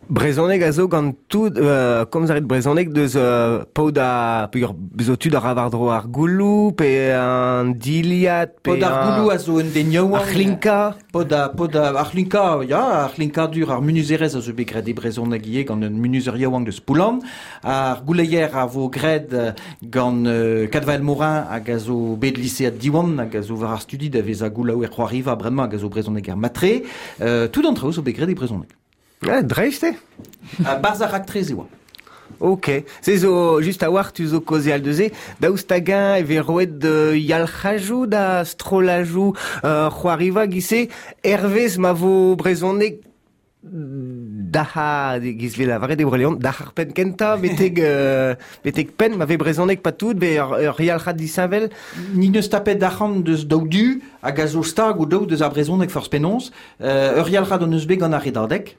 Brezhoneg a zo gant tout, euh, komz a rit brezhoneg deus euh, paotr a, peogwir bezo tud a ra war-dro ar gouloù, pe an diliad, pe Paotr ar gouloù a zo un den yaouank. ar c'hlinka. Paotr a, paotr a, ar c'hlinka, ya, ar c'hlinkadur, ar munuzerezh a zo bet graet e brezhoneg ivez gant un munuzer yaouank deus Poullan. Ar gouleier a vo graet gant euh, Kadvael Morin hag a zo bet lisead Diwan hag a zo war ar studi da vezañ goulaouer c'hoariva bremañ hag a zo brezhoneger matre. Euh, tout an traoù zo bet graet e brezhoneg. Ah, dreist eo. Ha barzh ar raktres e oa. Ok. Se zo just a-walc'h tu zo kaozeal deus-se, daoust hag-eñ e vez roet euh, yalc'hajoù da strollajoù euh, c'hoariva giz-se, hervez ma vo brezhoneg da giz vez lavaret e Bro-Leon, da ar penn kentañ, betek, euh, betek penn, ma vez brezhoneg pa tout, be ur, ur yalc'had disheñvel. Ni neus tapet arc'hant deus daou du, hag a zo stag ou daou deus ar brezhoneg forzh penaos, euh, ur yalc'had hon eus bet gant ar redadeg.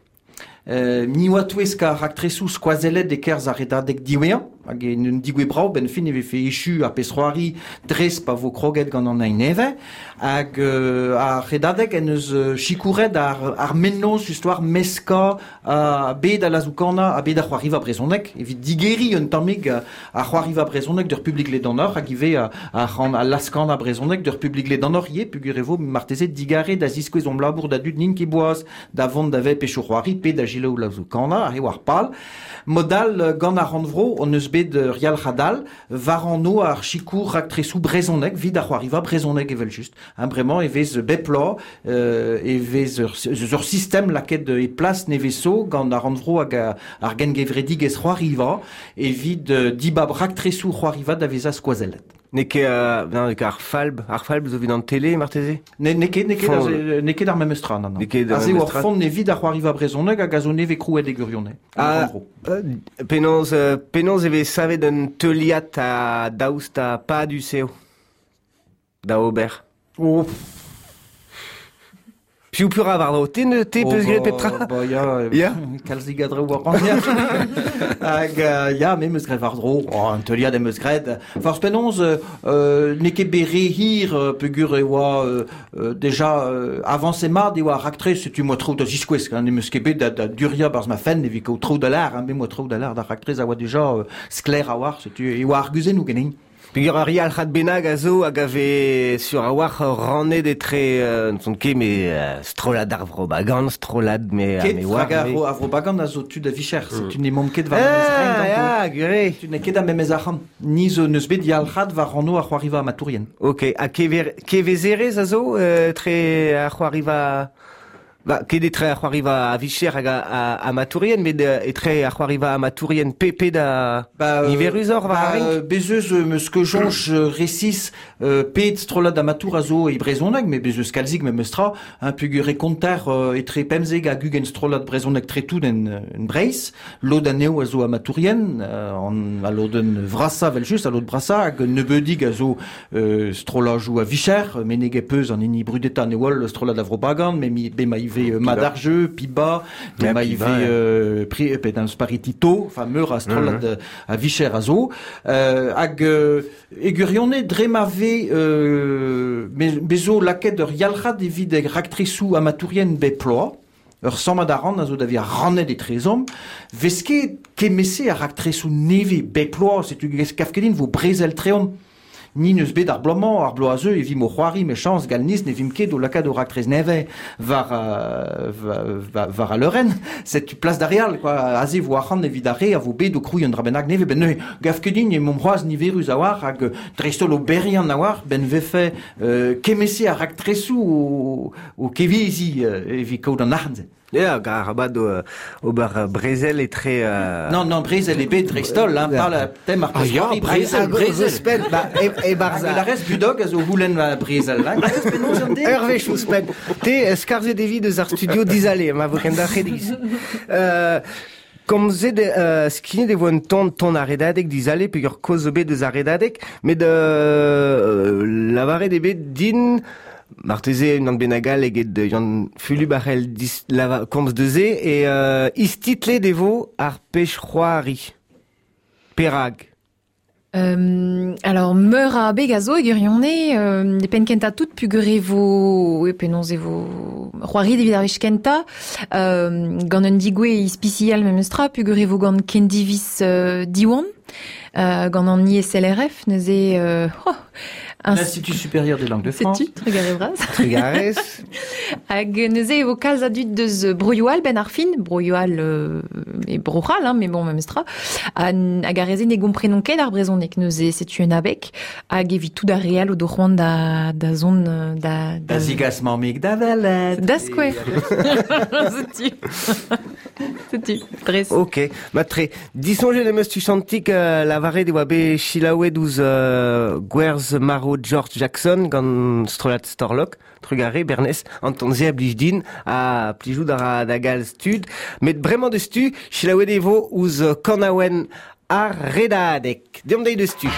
Euh, ni oa touesk ar raktresoù skoazellet e-kerzh ar redadeg diwezhañ, hag en un digouez brav, ben fin e vefe echu ar pezh-c'hoari dres pa vo kroget gant an ein nevez, hag euh, ar redadeg en eus euh, sikouret ar, ar mennozh histoire meskañ a bed a lazoù-kanañ ha bed ar c'hoariva brezhoneg, evit digeriñ un tammig ar c'hoariva brezhoneg d'ur publik ledanoc'h, hag ivez a, a, c'han- a laz-kanañ brezhoneg d'ur publik ledanoc'h ivez, peogwir e vo marteze digare da ziskouez hom labour da dud n'int ket boaz da vont da vet pechoù c'hoari pe da selaou lazoù-kanañ, ar eo ar pal. Modal gant ar rannvro hon eus bet ur yalc'had all war anv ar sikour raktresoù brezhoneg evit ar c'hoariva brezhoneg evel-just. Hein, bremañ e vez bep bloaz, euh, e vez ur, ur sistem lakaet e plas neveso gant ar rannvro hag ar gengevredigezh c'hoariva evit euh, dibab raktresoù c'hoariva da vezañ skoazellet. N'eo ket, euh, non, n'eo ket ar falb, ar falb zo evit an tele, marteze? Ne, n'eo ket, n'eo ket, Fond. aze- n'eo ket ar memes tra, non, non. N'eo ket ar Aze memes oa tra. font evit ar c'hoariva brezhoneg hag a zo nevez krouet e gwirionez. Ah, En gros. euh, penaos, euh, penaos e vez savet un teuliad a daoust ha padus eo da ober. Oh. Piou pura war dro, te ne te peus graet pep tra? Ba ya, Ya. Kalzik a draoù war an ya. Hag ya, me meus graet war dro, oh, un teuliad em eus graet. Forz penaos, euh, n'eo ket bet re hir peogwir e oa euh, déjà euh, avancé mat e oa raktres, setu moa traoù da ziskouez, hein, ne meus ket bet da, da duria barz ma fenn evit kaout traoù da lar, hein, me moa traoù da lar da raktres a oa déjà euh, sklaer a war, setu e oa arguzennoù ganin. Peogwir ar yalc'had bennak a zo hag a vez sur a war rannet etre euh, n'son ket mais euh, strollad ar vro bagan, strollad me Ket me war. hag ar, ar vro bagan a zo tud a vicher, setu ne mom ket war Ah, memez renk ganto. ya, gure. Tu n'eo ket a memez arc'hant. Ni zo neus bet yalc'had war anv ar c'hoariva amatourien. Ok, ha kever, kevezerez a zo euh, tre ar c'hoariva... Ba, ket etre ar c'hoariva a vicher hag a, a, amatourien, met etre ar c'hoariva amatourien P P da Ba, euh, niverus oc'h war ba, ar renk? euh, bez eus euh, meus ket soñj euh, resis euh, pet strollad amatour a zo e brezhoneg, met bez eus kalzik memes tra, hein, peogwir e konter euh, etre pemzek hag ugent strollad brezhoneg tretout en, en Breizh, lod anezho a zo amatourien, euh, an, a lodenn vrasa vel just, a lod brasa, hag nebeudig a zo euh, strollajoù a vicher, meneg e peus an hini brudeta ne oa strollad a vro bagan, me mi, be ma ive euh, Madarjeu, Piba, be Ja, ma Piba, ive ja. euh, pri, pe dan sparitito, enfin meur a strollad mm -hmm. a vicher a zo, euh, hag euh, e gwirionez dre ma vez euh, me, me zo lakaet ur yalc'had evit e raktresoù amatourien bep ploaz, ur sammad a ran a zo da vi rannet etrezomp, vez ket kemese ar raktresoù nevez bep ploaz, setu kaf ket din vo brezel treomp. Ni neus bet ar bloaz-mañ, ar bloaz a zeu e vimp o c'hoari mechañs galniz ne vimp ket o lakaat o raktres nevez war, euh, war, war a leurenn. Setu plas d'ar re all, quoi. Aze vo arc'hant evit ar re a vo bet o krouiñ un dra bennak nevez. Ben neuze, gav ket din e mom c'hoazh niverus a war hag dreist-holl oberiant a war, ben vefe euh, kemese ar raktresoù o, o kevezi euh, evit kaout an arc'hant-se. Ya, hag arabat o, ober brezel etre... Euh... Non, non, brezel ebet dreist-holl, hein, par la tem ar Ah ya, c'hoari brezel, brezel. Ouzhpenn, ba, e, e barz Hag la rez budog a zo houlenn va brezel, hein. Glavez penaos an den? Ur wech ouzhpenn. Te, skarzhet evit eus ar studio dizale, ma vo ken da c'hediz. Euh, Komzet euh, skignet e vo un ton ton ar redadeg dizale peogwir kaoz zo bet eus ar redadeg, met euh, lavaret eo bet din marteze unan bennak all eget Yann Fulub a c'hell dis, lava, komz deus se e euh, istitlet e vo ar pech c'hoari. Perag. Euh, alors, meur a beg a zo e gwirionez, euh, e penn kentañ tout peogwir e vo, e penaos e vo c'hoari evit ar wech kentañ, euh, gant un digouez ispisial memes tra, peogwir e vo gant Kendivis euh, Diwan, euh, gant an I S L R F, neuze, euh, oh, un L'Institut supérieur des langues de France. Setu, trugarez bras. Trugarez. Hag neuze e vo kalz a dud deus broioù all ben ar fin, broioù all euh, e bro-C'hall, hein, mais bon, memes tra, hag ar re-se ne gomprenon ket ar brezhoneg, neuze setu un abeg, hag evit tout ar re all o do c'hoant da, da zon, da... Da zigas mammig da velet. Da skouer. Setu. Setu, dres. Ok, matre. Disoñjet em eus tuchantik euh, lavaret e oa bet selaouet ouzh euh, gwerz maro George Jackson gant strollad Storlok, trugarez Bernez, an ton-se a blij din, a plijout a ra da galz tud, met bremañ deus tu, selaouet e vo ouzh kanaouenn ar redadeg. Deomp dezhi deus tu.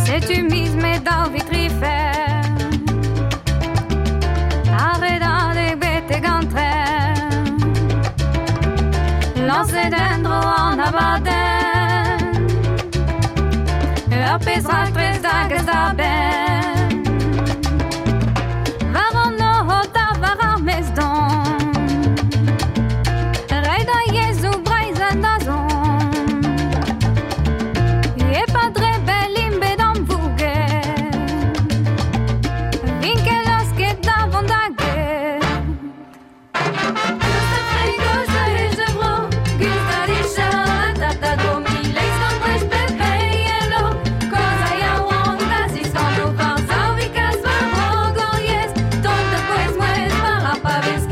Setu miz met daou vitrifer Ar redadeg betek an tren Lañset en-dro an abadenn Ur pezh raktres da gas da benn War an nor da war ar mez don Rei da yezhoù Breizh en da zon E pa dre bel int bet amvouget Vin ket lasket da vont da get Gust a friko ze hej de bro Gust a licher a tata do Mi leiz gant brech pepe yelo Koz a yaouank da ziskan o var zaou vi kas war bro gant yez Tont da pouez mouez war ar pavez.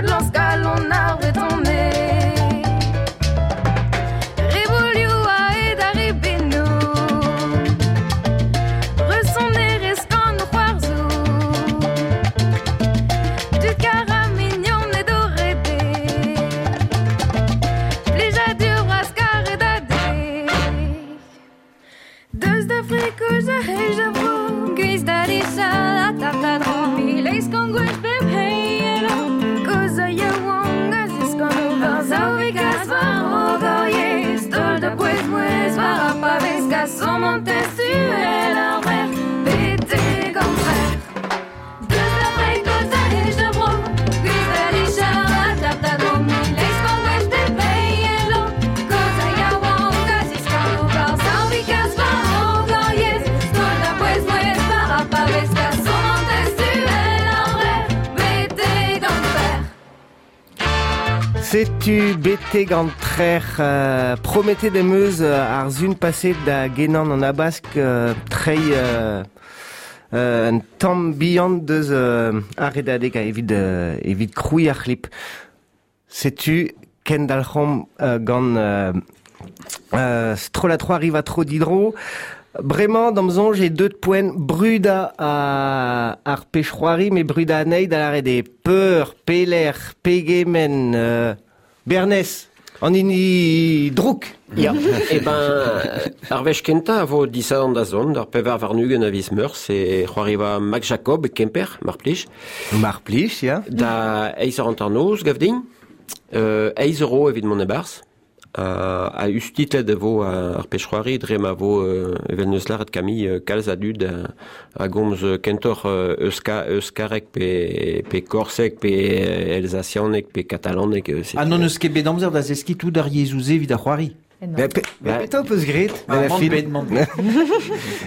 Adlans galon ar bretonne. Rebolioù a ed ar ribennou, Resonnerez gant o c'hoarzou, Dud kar a mignon e dorede, Plijadur bras karet a de. Deus da frikoz a hej da vro, Gwiz da dichal a tap da dro, Mileiz gant gwech bep heielo, Koz a yaouank a ziskan o var zaou kas war o gorriez, Tol da pouez mouez war a pavez, Kasom an testuel ar ver, Bete gant trer. Deus da frikoz a hej da vro, Gwiz da dichal a tap da dro, Mileiz gant gwech bep heielo, Koz a yaouank a ziskan o var zaou kas war o gorriez, Tol da pouez mouez war a pavez, Kasom an testuel ar ver, Bete gant trer. Setu bete gant trer euh, promete demeus euh, ar zun paset da genan an abask euh, trei euh, euh, un tamm bihan deus euh, ar redadeg a evit, euh, evit kroui ar c'hlip. Setu kendalc'homp euh, gant euh, euh, strolla trois arrive tro didro. Bremañ d'am soñj e deut poent bruda a ar pechroari me bruda anezhi da lâret eo peur, peler, pegement, euh, Bernez, an hini drouk. Ya, e ben, ar wech kentañ a vo disadorn da zont, ar pevar warn-ugent a viz Meurzh, e c'hoariva Max Jacob e Kemper, mar plij. Mar plij, ya. Da eizh eur hanternoz, gav din. Euh, eizh euro evit mont e-barzh. Uh, a ustitlet e vo ar pechroari dre ma vo euh, evel neus lâret Camille kalz a dud a, a gomz kentoc'h euh, euska, euskarek pe, pe korsek pe elsazianeg pe katalaneg. Euh, Ah non eus ket bet amzer da zeskiñ tout ar yezhoù-se evit ar c'hoari. Be, pe, be, petra peus graet Ah, ben man fin. bet, man bet.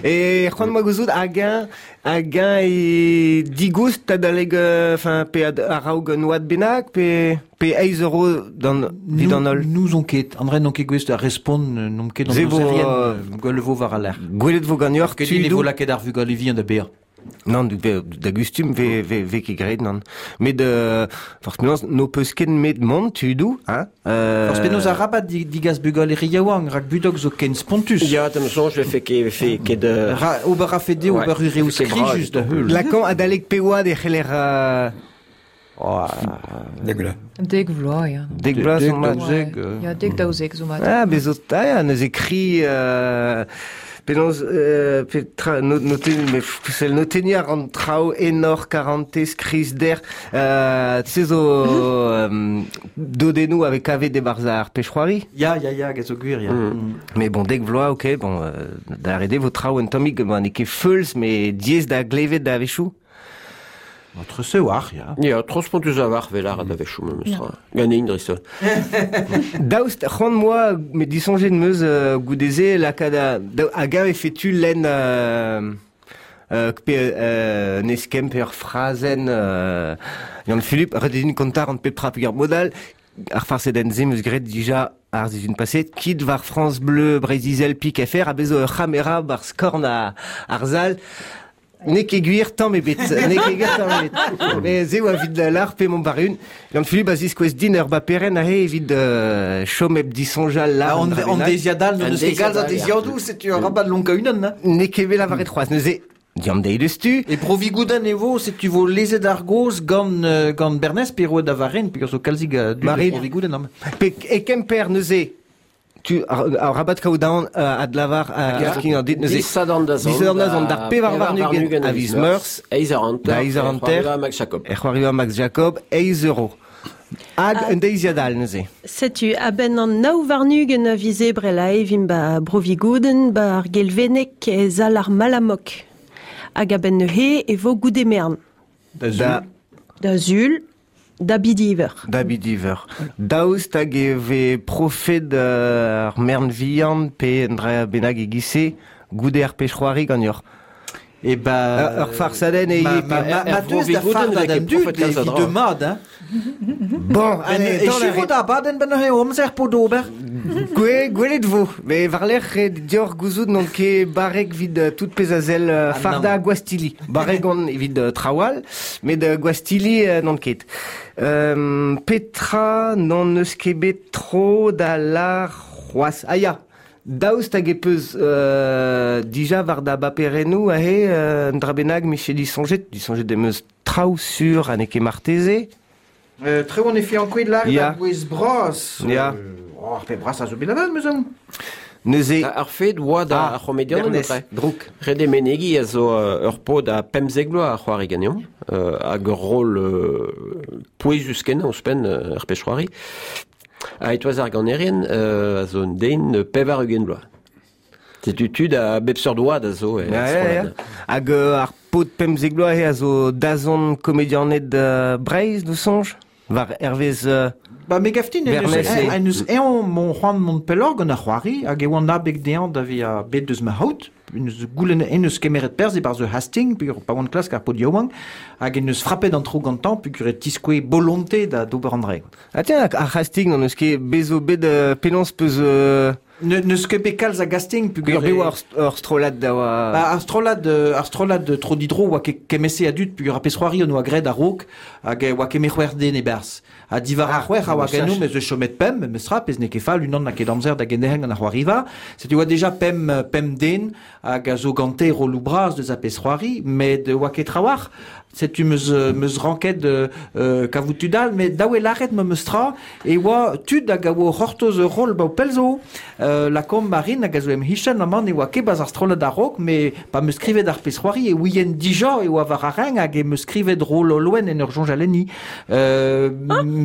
E c'hoant moa gouzout hag-eñ hag-eñ e digoust adaleg enfin pe ad, a-raok un oad bennak pe pe eizh euro d'an evit an holl. Nous on ket, André n'on ket gouest da respont n'on ket an Ze vo, ozerien, euh, gwell vo war al aer. Gwelet vo ganeoc'h Ket din e tudoù. vo lakaet ar vugale vihan da bezañ. Non, du, be, da gustum ve, ve, ve ket graet, non. Met, euh, forz penaos, n'ho peus ket met mont tudoù, hein? Euh, Forz penaos arabat di, digas bugale re yaouank, rak budok zo ken spontus. Ya, d'am soñj vefe ket vefe ket euh, Ra, ober a fe dezho Ouais, ober ur reoù vefe ket bras, skrijus da heul. Lakan adalek peoad e c'heller euh, Oh, Dek vloaz. Dek vloaz, ya. dek bloaz Dek, zo mat. daouzek, euh. Ya, dek daouzek zo mat. Ah, bez zo ah, ya, neuze kri euh, penaos euh, petra no, noten, me sell notenniñ ar an traoù enor karantez krizder euh, se zo euh, dodennoù avec kavet de barz ar pechroari. Ya, ya, ya, hag a zo gwir, ya. Mm. Mais bon, dek vloaz, ok, bon, euh, da arrêter vo traoù un tammig, bon, n'eo ket feuls, mais diaes da glevet da a-wechoù. Entre se war, ya. Ya, tro spontus a war vel ar da wechoù memes tra. Ganin dreist-holl. Daoust, c'hoant moa, met disoñjet meus euh, goude-se lakaat a, da, hag-eñ e fetu lenn euh, euh, pe euh, un eskemm pe ur frazenn euh, Yann Philippe, ret eo din kontañ an pep tra peogwir modal, ar farsedenn se meus graet dija ar sizhun paset, kit war France Bleu Breizh-Izel pik F R, a bez zo ur c'hamera bar skorn a, ar zal. N'eo ket gwir tamm ebet, n'eo ket gwir tamm ebet. Mais se oa evit la lar pe mon barun. Yann Philippe a ziskouez din ur baperen aze evit euh, chom hep disoñjal lar Ah, an an, dra an bennak. deiziad all, An n'eus ket galz a deiziad all, ya. deiziadoù, setu arabat lonkañ unan, hein. N'eo ket bet lavaret c'hoazh, neuze diam deiz deus tu. E Provigoudenn e vo, setu vo lezet ar goz gant, euh, gant Bernez pe roet da varen, peogwir zo kalzig a dud e Marine. Provigoudenn, am. Pe e Kemper neuze, tu ar, ar rabat kaout daon euh, adlavar euh, ar kin an dit neuze. Disadorn da zont. Disadorn da zont, d'ar pevar warn-ugent a viz Meurzh. Eizh eur hanter. Da eizh eur hanter. E c'hoariva Max Jacob. E c'hoariva Max Jacob, eizh euro. Hag un deiziad all neuze. Setu, a-benn an nav warn-ugent a viz Ebrel a evimp ba Brovigoudenn, ba ar Gelveneg e zal ar Malamok. Hag a-benn neuze e vo goude mern. Da Da, Da zul, da bidiver. da bidiver. Daoust hag e ve profet euh, ar mern vihan pe un dra bennak e gise goude ar pechroari ganeoc'h. E ba... Ur farsadenn e... Ma, ma, ma, ma deus da farda d'an dud evit de mad, hein. Bon, allez, e chivo da baden ben eo amzer po d'ober. Gwe, gwelet vo. Me varler e dior gouzout non ket barrek vid tout pez a zel ah, farda gwastili. Barrek on evit trawal, met gwastili non ket. Euh, Petra non eus ket bet tro da la c'hoaz. Ah ya, daoust hag e peus euh, dija war da baperennou ahe euh, un dra bennak miche disonjet, disonjet demeus traoù sur ha n'eo ket marteze. Euh, tre on e fi an kouet lar da gwez bras. Ya. Euh, oh, ar pe bras a zo bet avat, meus an. Neuze... Ar fed oa da ar c'homedian drouk. Rede menegi a zo ur pod a pemzek bloaz a c'hoari ganeomp, euh, hag ur rol euh, pouezus kenañ ouzhpenn ar pezh c'hoari. A etoaz ar ganerien euh, a zo un den pevar ugent bloaz. Setu tud a bep seurt oad a zo. E, ja, ja, ja. Hag euh, ar pod pemzek bloaz a zo dazont komedianed uh, Breizh, do soñj? War hervez... Euh, Ba me gaftin en eus eon mon c'hoant mont pellor gant ar c'hoari hag e oan abeg dezhañ da vezañ bet deus ma haout en eus goulenn en eus kemeret perzh e-barzh ur hasting peogwir pa oan klask ar pod yaouank hag en eus frappet an tro gantañ peogwir e tiskoe bolonte da d'ober an dre. Ah tiens, ar hasting n'en eus ket bezo bet euh, penaos peus... Euh... Ne, neus ket bet kalz a gasting peogwir bet oa ur strollad da oa... Ba, ar strollad, ar strollad tro didro oa ket kemese a dud peogwir ar pezh c'hoari on oa graet a-raok hag oa ket me c'hwec'h den e-barzh. Ha divar ar c'hwec'h a oa ganeomp ez eus chomet pemp, meus tra, pezh n'eo ket fall, unan n'a ket amzer da genderc'hel gant ar c'hoariva. Setu oa deja pemp, pemp den hag a zo gante rolloù bras deus ar pezh c'hoari, met oa ket trawalc'h. Setu meus, meus ranket euh, kavout tud all, met daou e lâret ma meus tra, e oa tud hag a oa c'hortoz ur roll ba o pell zo. Euh, la kom Marine hag a zo em hichen amañ ne oa ket baz ar strollad a-raok, met pa meus skrivet ar pezh c'hoari e ouien dija e oa war ar reng hag e meus skrivet roll Olwen en ur soñj alenni. Euh,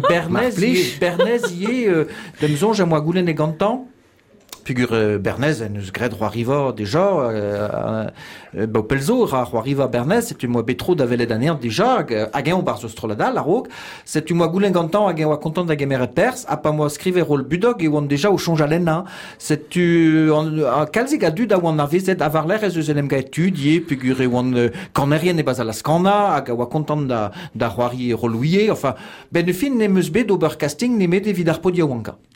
Bernez, Bernez ie, euh, dem soñj a moa goulenn e gantañ. Peogwir euh, Bernez en eus graet c'hoariva deja, euh, euh, ba o pell zo ra c'hoariva Bernez, setu moa bet tro da welet anezhañ deja, hag, hag eñ barzh strollad all a-raok, setu moa goulenn gantañ hag eñ oa kontant da gemeret perzh, ha pa moa skrivet roll Budog e oan deja o soñj alennañ. Setu an, a kalzik a dud a oan avezet a war-lerc'h ez eus en em gaet tud ivez, peogwir e oan euh, kanerien e-barzh al askanañ, hag a oa kontant da, da c'hoari rollouier, enfin, ben fin n'em eus bet d'ober casting nemet evit ar pod yaouankañ.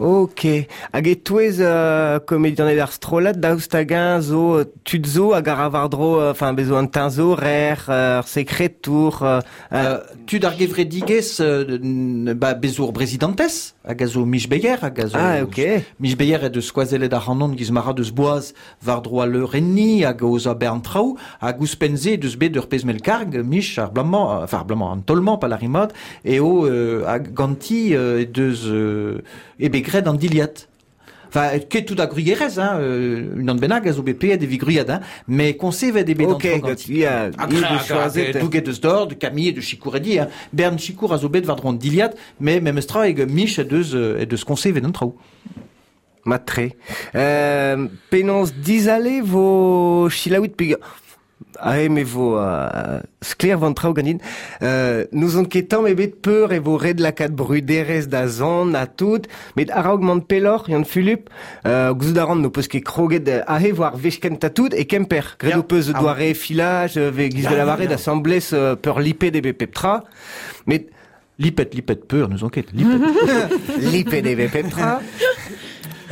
Ok. Hag e touez euh, komedianed ar strollad, daoust hag-eñ zo tud zo hag ar war-dro, enfin bezo an teñzor, ur euh, sekretour... Euh, euh, tud ar gevredigezh euh, ba, bezo ur brezidantez, hag a zo Mich Beyer, hag a zo... Ah, ok. Mich Beyer e deus skoazellet ar c'hanon giz mara deus boaz war-dro al leurenni hag oz a bern traoù, hag ouzhpenn-se deus bet ur pezh mell karg, Mich ar blamañ, enfin ar blamañ, an tolmañ pa larimad, eo euh, hag ganti euh, deus... Euh, e bet graet an diliad. Enfin, ket tout a grugerez, hein, euh, unan bennak a zo bet paeet evit gruiad, hein, mais konsevet e bet Ok, an tro ganti. ya, A i gra- deus choazet. a- douget deus dor, de Camille, de Chikouredi, hein. Bern Chikour a zo bet war-dro an diliad, mais memes tra eg Mich e deus, e deus konsevet an traoù. Matre. Euh, penaos dizale vo chilaouit peogwir... Ah, me vo euh, sklaer van traoù ganin. Euh, nous on ket tamm ebet peur e vo ret lakaat bruderezh da zont ha tout, met a-raok mont pelloc'h, Yann Fulup, euh, gouzout a ran n'ho peus ket kroget ahe war wech kentañ tout e Kemper. Graet ho peus Ah. doare filaj, ve giz de la varre d'assemblez euh, peur lipet ebe pep tra, met Lipet, lipet peur, nous on ket, lipet. lipet ebe pep tra.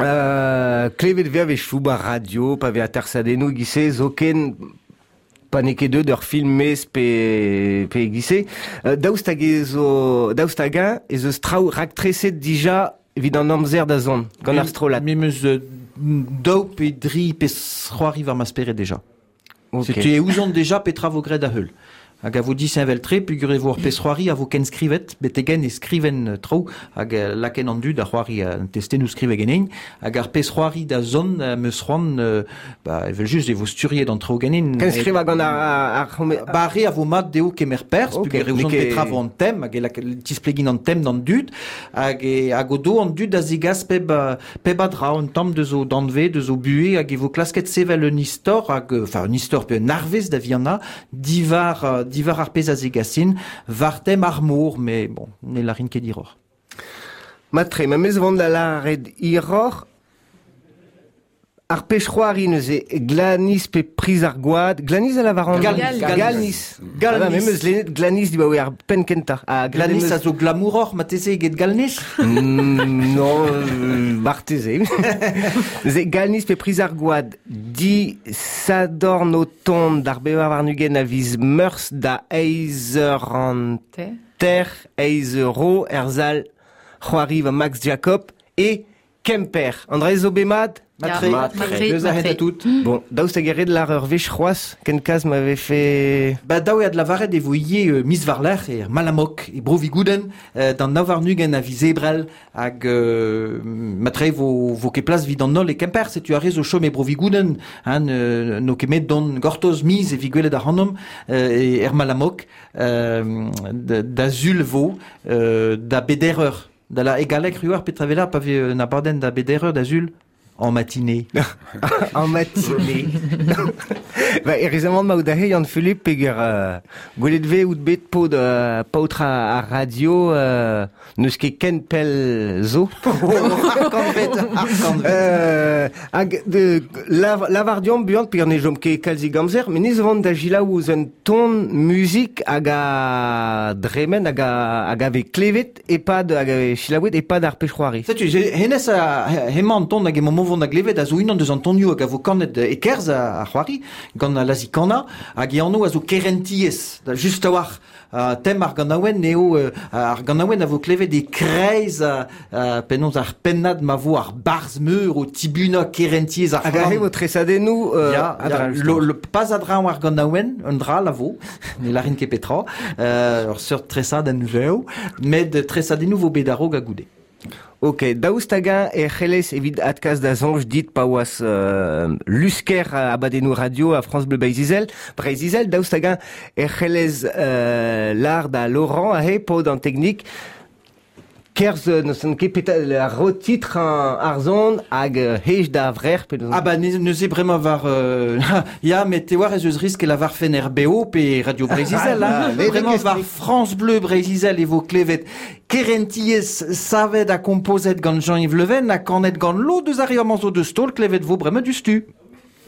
Euh, klevet vez ave chou ba radio, pa ve atersadennoù gise, zoken pa n'eo ket deut ur film mez pe, pe gise. Euh, daoust hag ez zo, daoust hag-eñ ez eus traoù raktreset dija evit an amzer da zont, gant ar strollad. Me meus euh, daou pe dri pe c'hoari war ma spered deja. Ok. Setu e ouzon deja petra vo graet da heul. Hag a vo disheñvel-tre, peogwir e vo ur pezh c'hoari a vo ken skrivet, betegen e skriven traoù, hag laken an dud a c'hoari an testennoù skrivet ganin, hag ar pezh c'hoari da zont meus c'hoant, ba, evel just e vo sturiet an traoù ganin. Ken skriva gant ar... ar, ar Ba ar re a vo mat dezho kemer perzh, Ok, peogwir e ouzon n'eo ket- petra vo an tem, hag e lak- tisplegin an tem d'an dud, hag e, hag o do an dud a zigas peb, peb a dra, un tamm deus o danve, deus o buhe, hag e vo klasket sevel un istor, hag, enfin un istor pe un arvez da viana, divar, divar ar pezh a zegasin, war tem ar mor, mais bon, ne larin ket hiroc'h. Matre, ma mez vont da lâret hiroc'h, Ar pech c'hoari neuze Glanis pe priz ar gwad. Glanis a lavaran. Galnis. Galnis. Galnis. Ah, meus lennet Glanis dibaoe ar penn kentañ. Ha Glanis meus... a zo glamouroc'h mateze eget Galnis? mm, non, euh, marteze. Neuze Galnis pe priz ar gwad. Di sadorn o tont d'ar bevar warn-ugent a viz meurzh da eizh eur an ter, eizh euro er zal c'hoari va Max Jacob e Kemper. André zo bet mat? Matre, matre, deus a hen tout. Bon, daoust hag eret lar ur wech c'hoazh, ken kaz m'avait fait... Ba daou eo ad lavaret e vo ivez euh, miz war-lerc'h e Malamok, e Bro-Vigouden, euh, d'an nav warn-ugent a viz Ebrel, hag euh, matre vo, vo ket plas vid an holl e Kemper, setu ar re zo chom e Bro-Vigouden, hein, euh, no ket met don gortoz miz e vi gwelet ar c'hanomp, euh, e er Malamok, euh, da zul vo, euh, da beder eur. Da la egalek ruar petravela pa ve na baden da beder eur da zul. En matinée. En matinée. Ba, e rezamant ma out ahe Yann Philippe peger euh, gwelet ve out bet paotr euh, paotr a, a radio euh, n'eus ket ken pell zo. Ar kanvet, ar kanvet. Euh, hag de, lav, lavar diomp buan peger ne jom ket kalzik amzer, met nez vant da jilaou ouzh un ton muzik hag a dremen hag a, hag a ve klevet epad hag a ve chilaouet epad ar pech c'hoari. Setu, hennezh a hemañ an ton hag emañ vont da glevet a zo unan deus an tonioù hag a vo kanet e kerz a, a c'hoari gant la zikana hag e anv a zo kerentiez da just a-walc'h uh, tem ar ganaouenn eo uh, ar ganaouenn a vo klevet e kreiz uh, uh, penaos ar pennad ma vo ar barzh meur o tibuna kerentiez ar hag a vo tresadennoù euh, ya, ya, lo, lo, pas a draoñ ar ganaouenn un dra la vo ne larin ket petra euh, ur seurt tresadenn vev met tresadennoù vo bet a-raok ha goude. Ok, daoust hag-eñ e c'hellez evit adkas da soñj dit pa oas euh, lusker abadennoù radio a France Bleu Breizh-Izel, Breizh-Izel, daoust hag-eñ e c'hellez euh, lar da Laurent ahe paotr an teknik kerzh n'eus ket peta ar rotitr an ar zon hag hej da vrec'h pe Ah ba neuze bremañ war euh, ya met te war ez eus risk e lavar fen R B O pe Radio Breizh-Izel hein. Bremañ war France Bleu Breizh-Izel e vo klevet Kerentiez savet a kompozet gant Jean-Yves Leven a kanet gant lo deus ar amañ zo deus taol klevet vo bremañ du stu.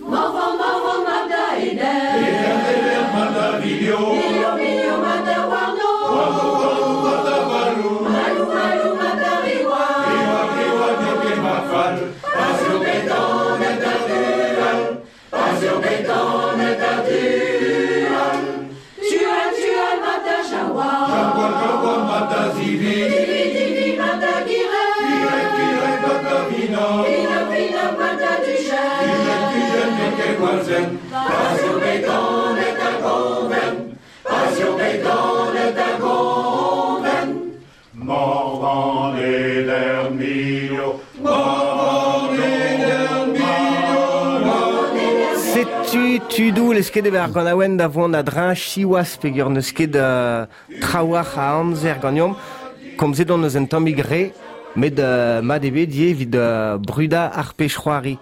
Morvan, morvan, mab da Eder. Eder, Eder, mab da Vilio. Vilio, Vilio, mab da Warno. Warno, Warno, mab da Valou. Valou, Valou, mab da Riwa. Riwa, Riwa, n'eo ket ma fall. Pas eo bet ganet da Dual. Pas eo bet ganet da Dual. Tual, Tual, mab da Jawa. Jawa, Jawa, mab da Zivi. Zivi, Zivi, mab da Girek. Girek, Girek, mab da Vina. Vina, Vina, mab da Dujen. Dujen, Dujen, n'eo ket gwall-zen. Pas eo bet ganet da Gonven. Pas eo bet ganet da Gonven. Morvan Eder Milio. Morvan Eder Milio. Setu tudou leus ket ar ganaouenn da vont a dreñ siwazh peger n'eus ket euh, trawalc'h a amzer ganeomp. Komzet on eus un tammig re, met euh, mat eo bet ivez evit euh, brudañ ar pech c'hoari.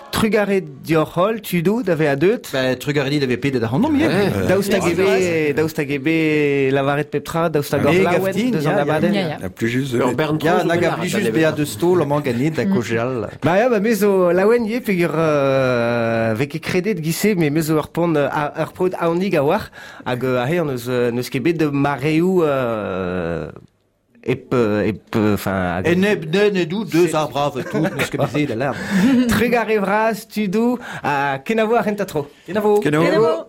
Trugarez dioc'h holl, tudou, da vezañ deuet. Ba, trugarez dit da vezañ pedet ac'hanomp ivez. Daoust hag eo bet, daoust hag eo bet lavaret pep tra, daoust hag ur laouen deus an abadenn. A plus just Ur bern Ya, nag a plijus bezañ deus taol amañ ganit da kaozeal. Ba ya, ba me zo laouen ivez peogwir euh, vez ket kredet giz-se, met me zo ur pont ur paotr aonik a-walc'h hag aze an eus n'eus ket bet de mareoù euh, ep, ep, enfin... Eneb, nen edou, deus ar brav tout, n'eus ket bezet da lar. Trugarez vras, tudou, ha kenavo ar renta tro. Kenavo. Kenavo. Kenavo.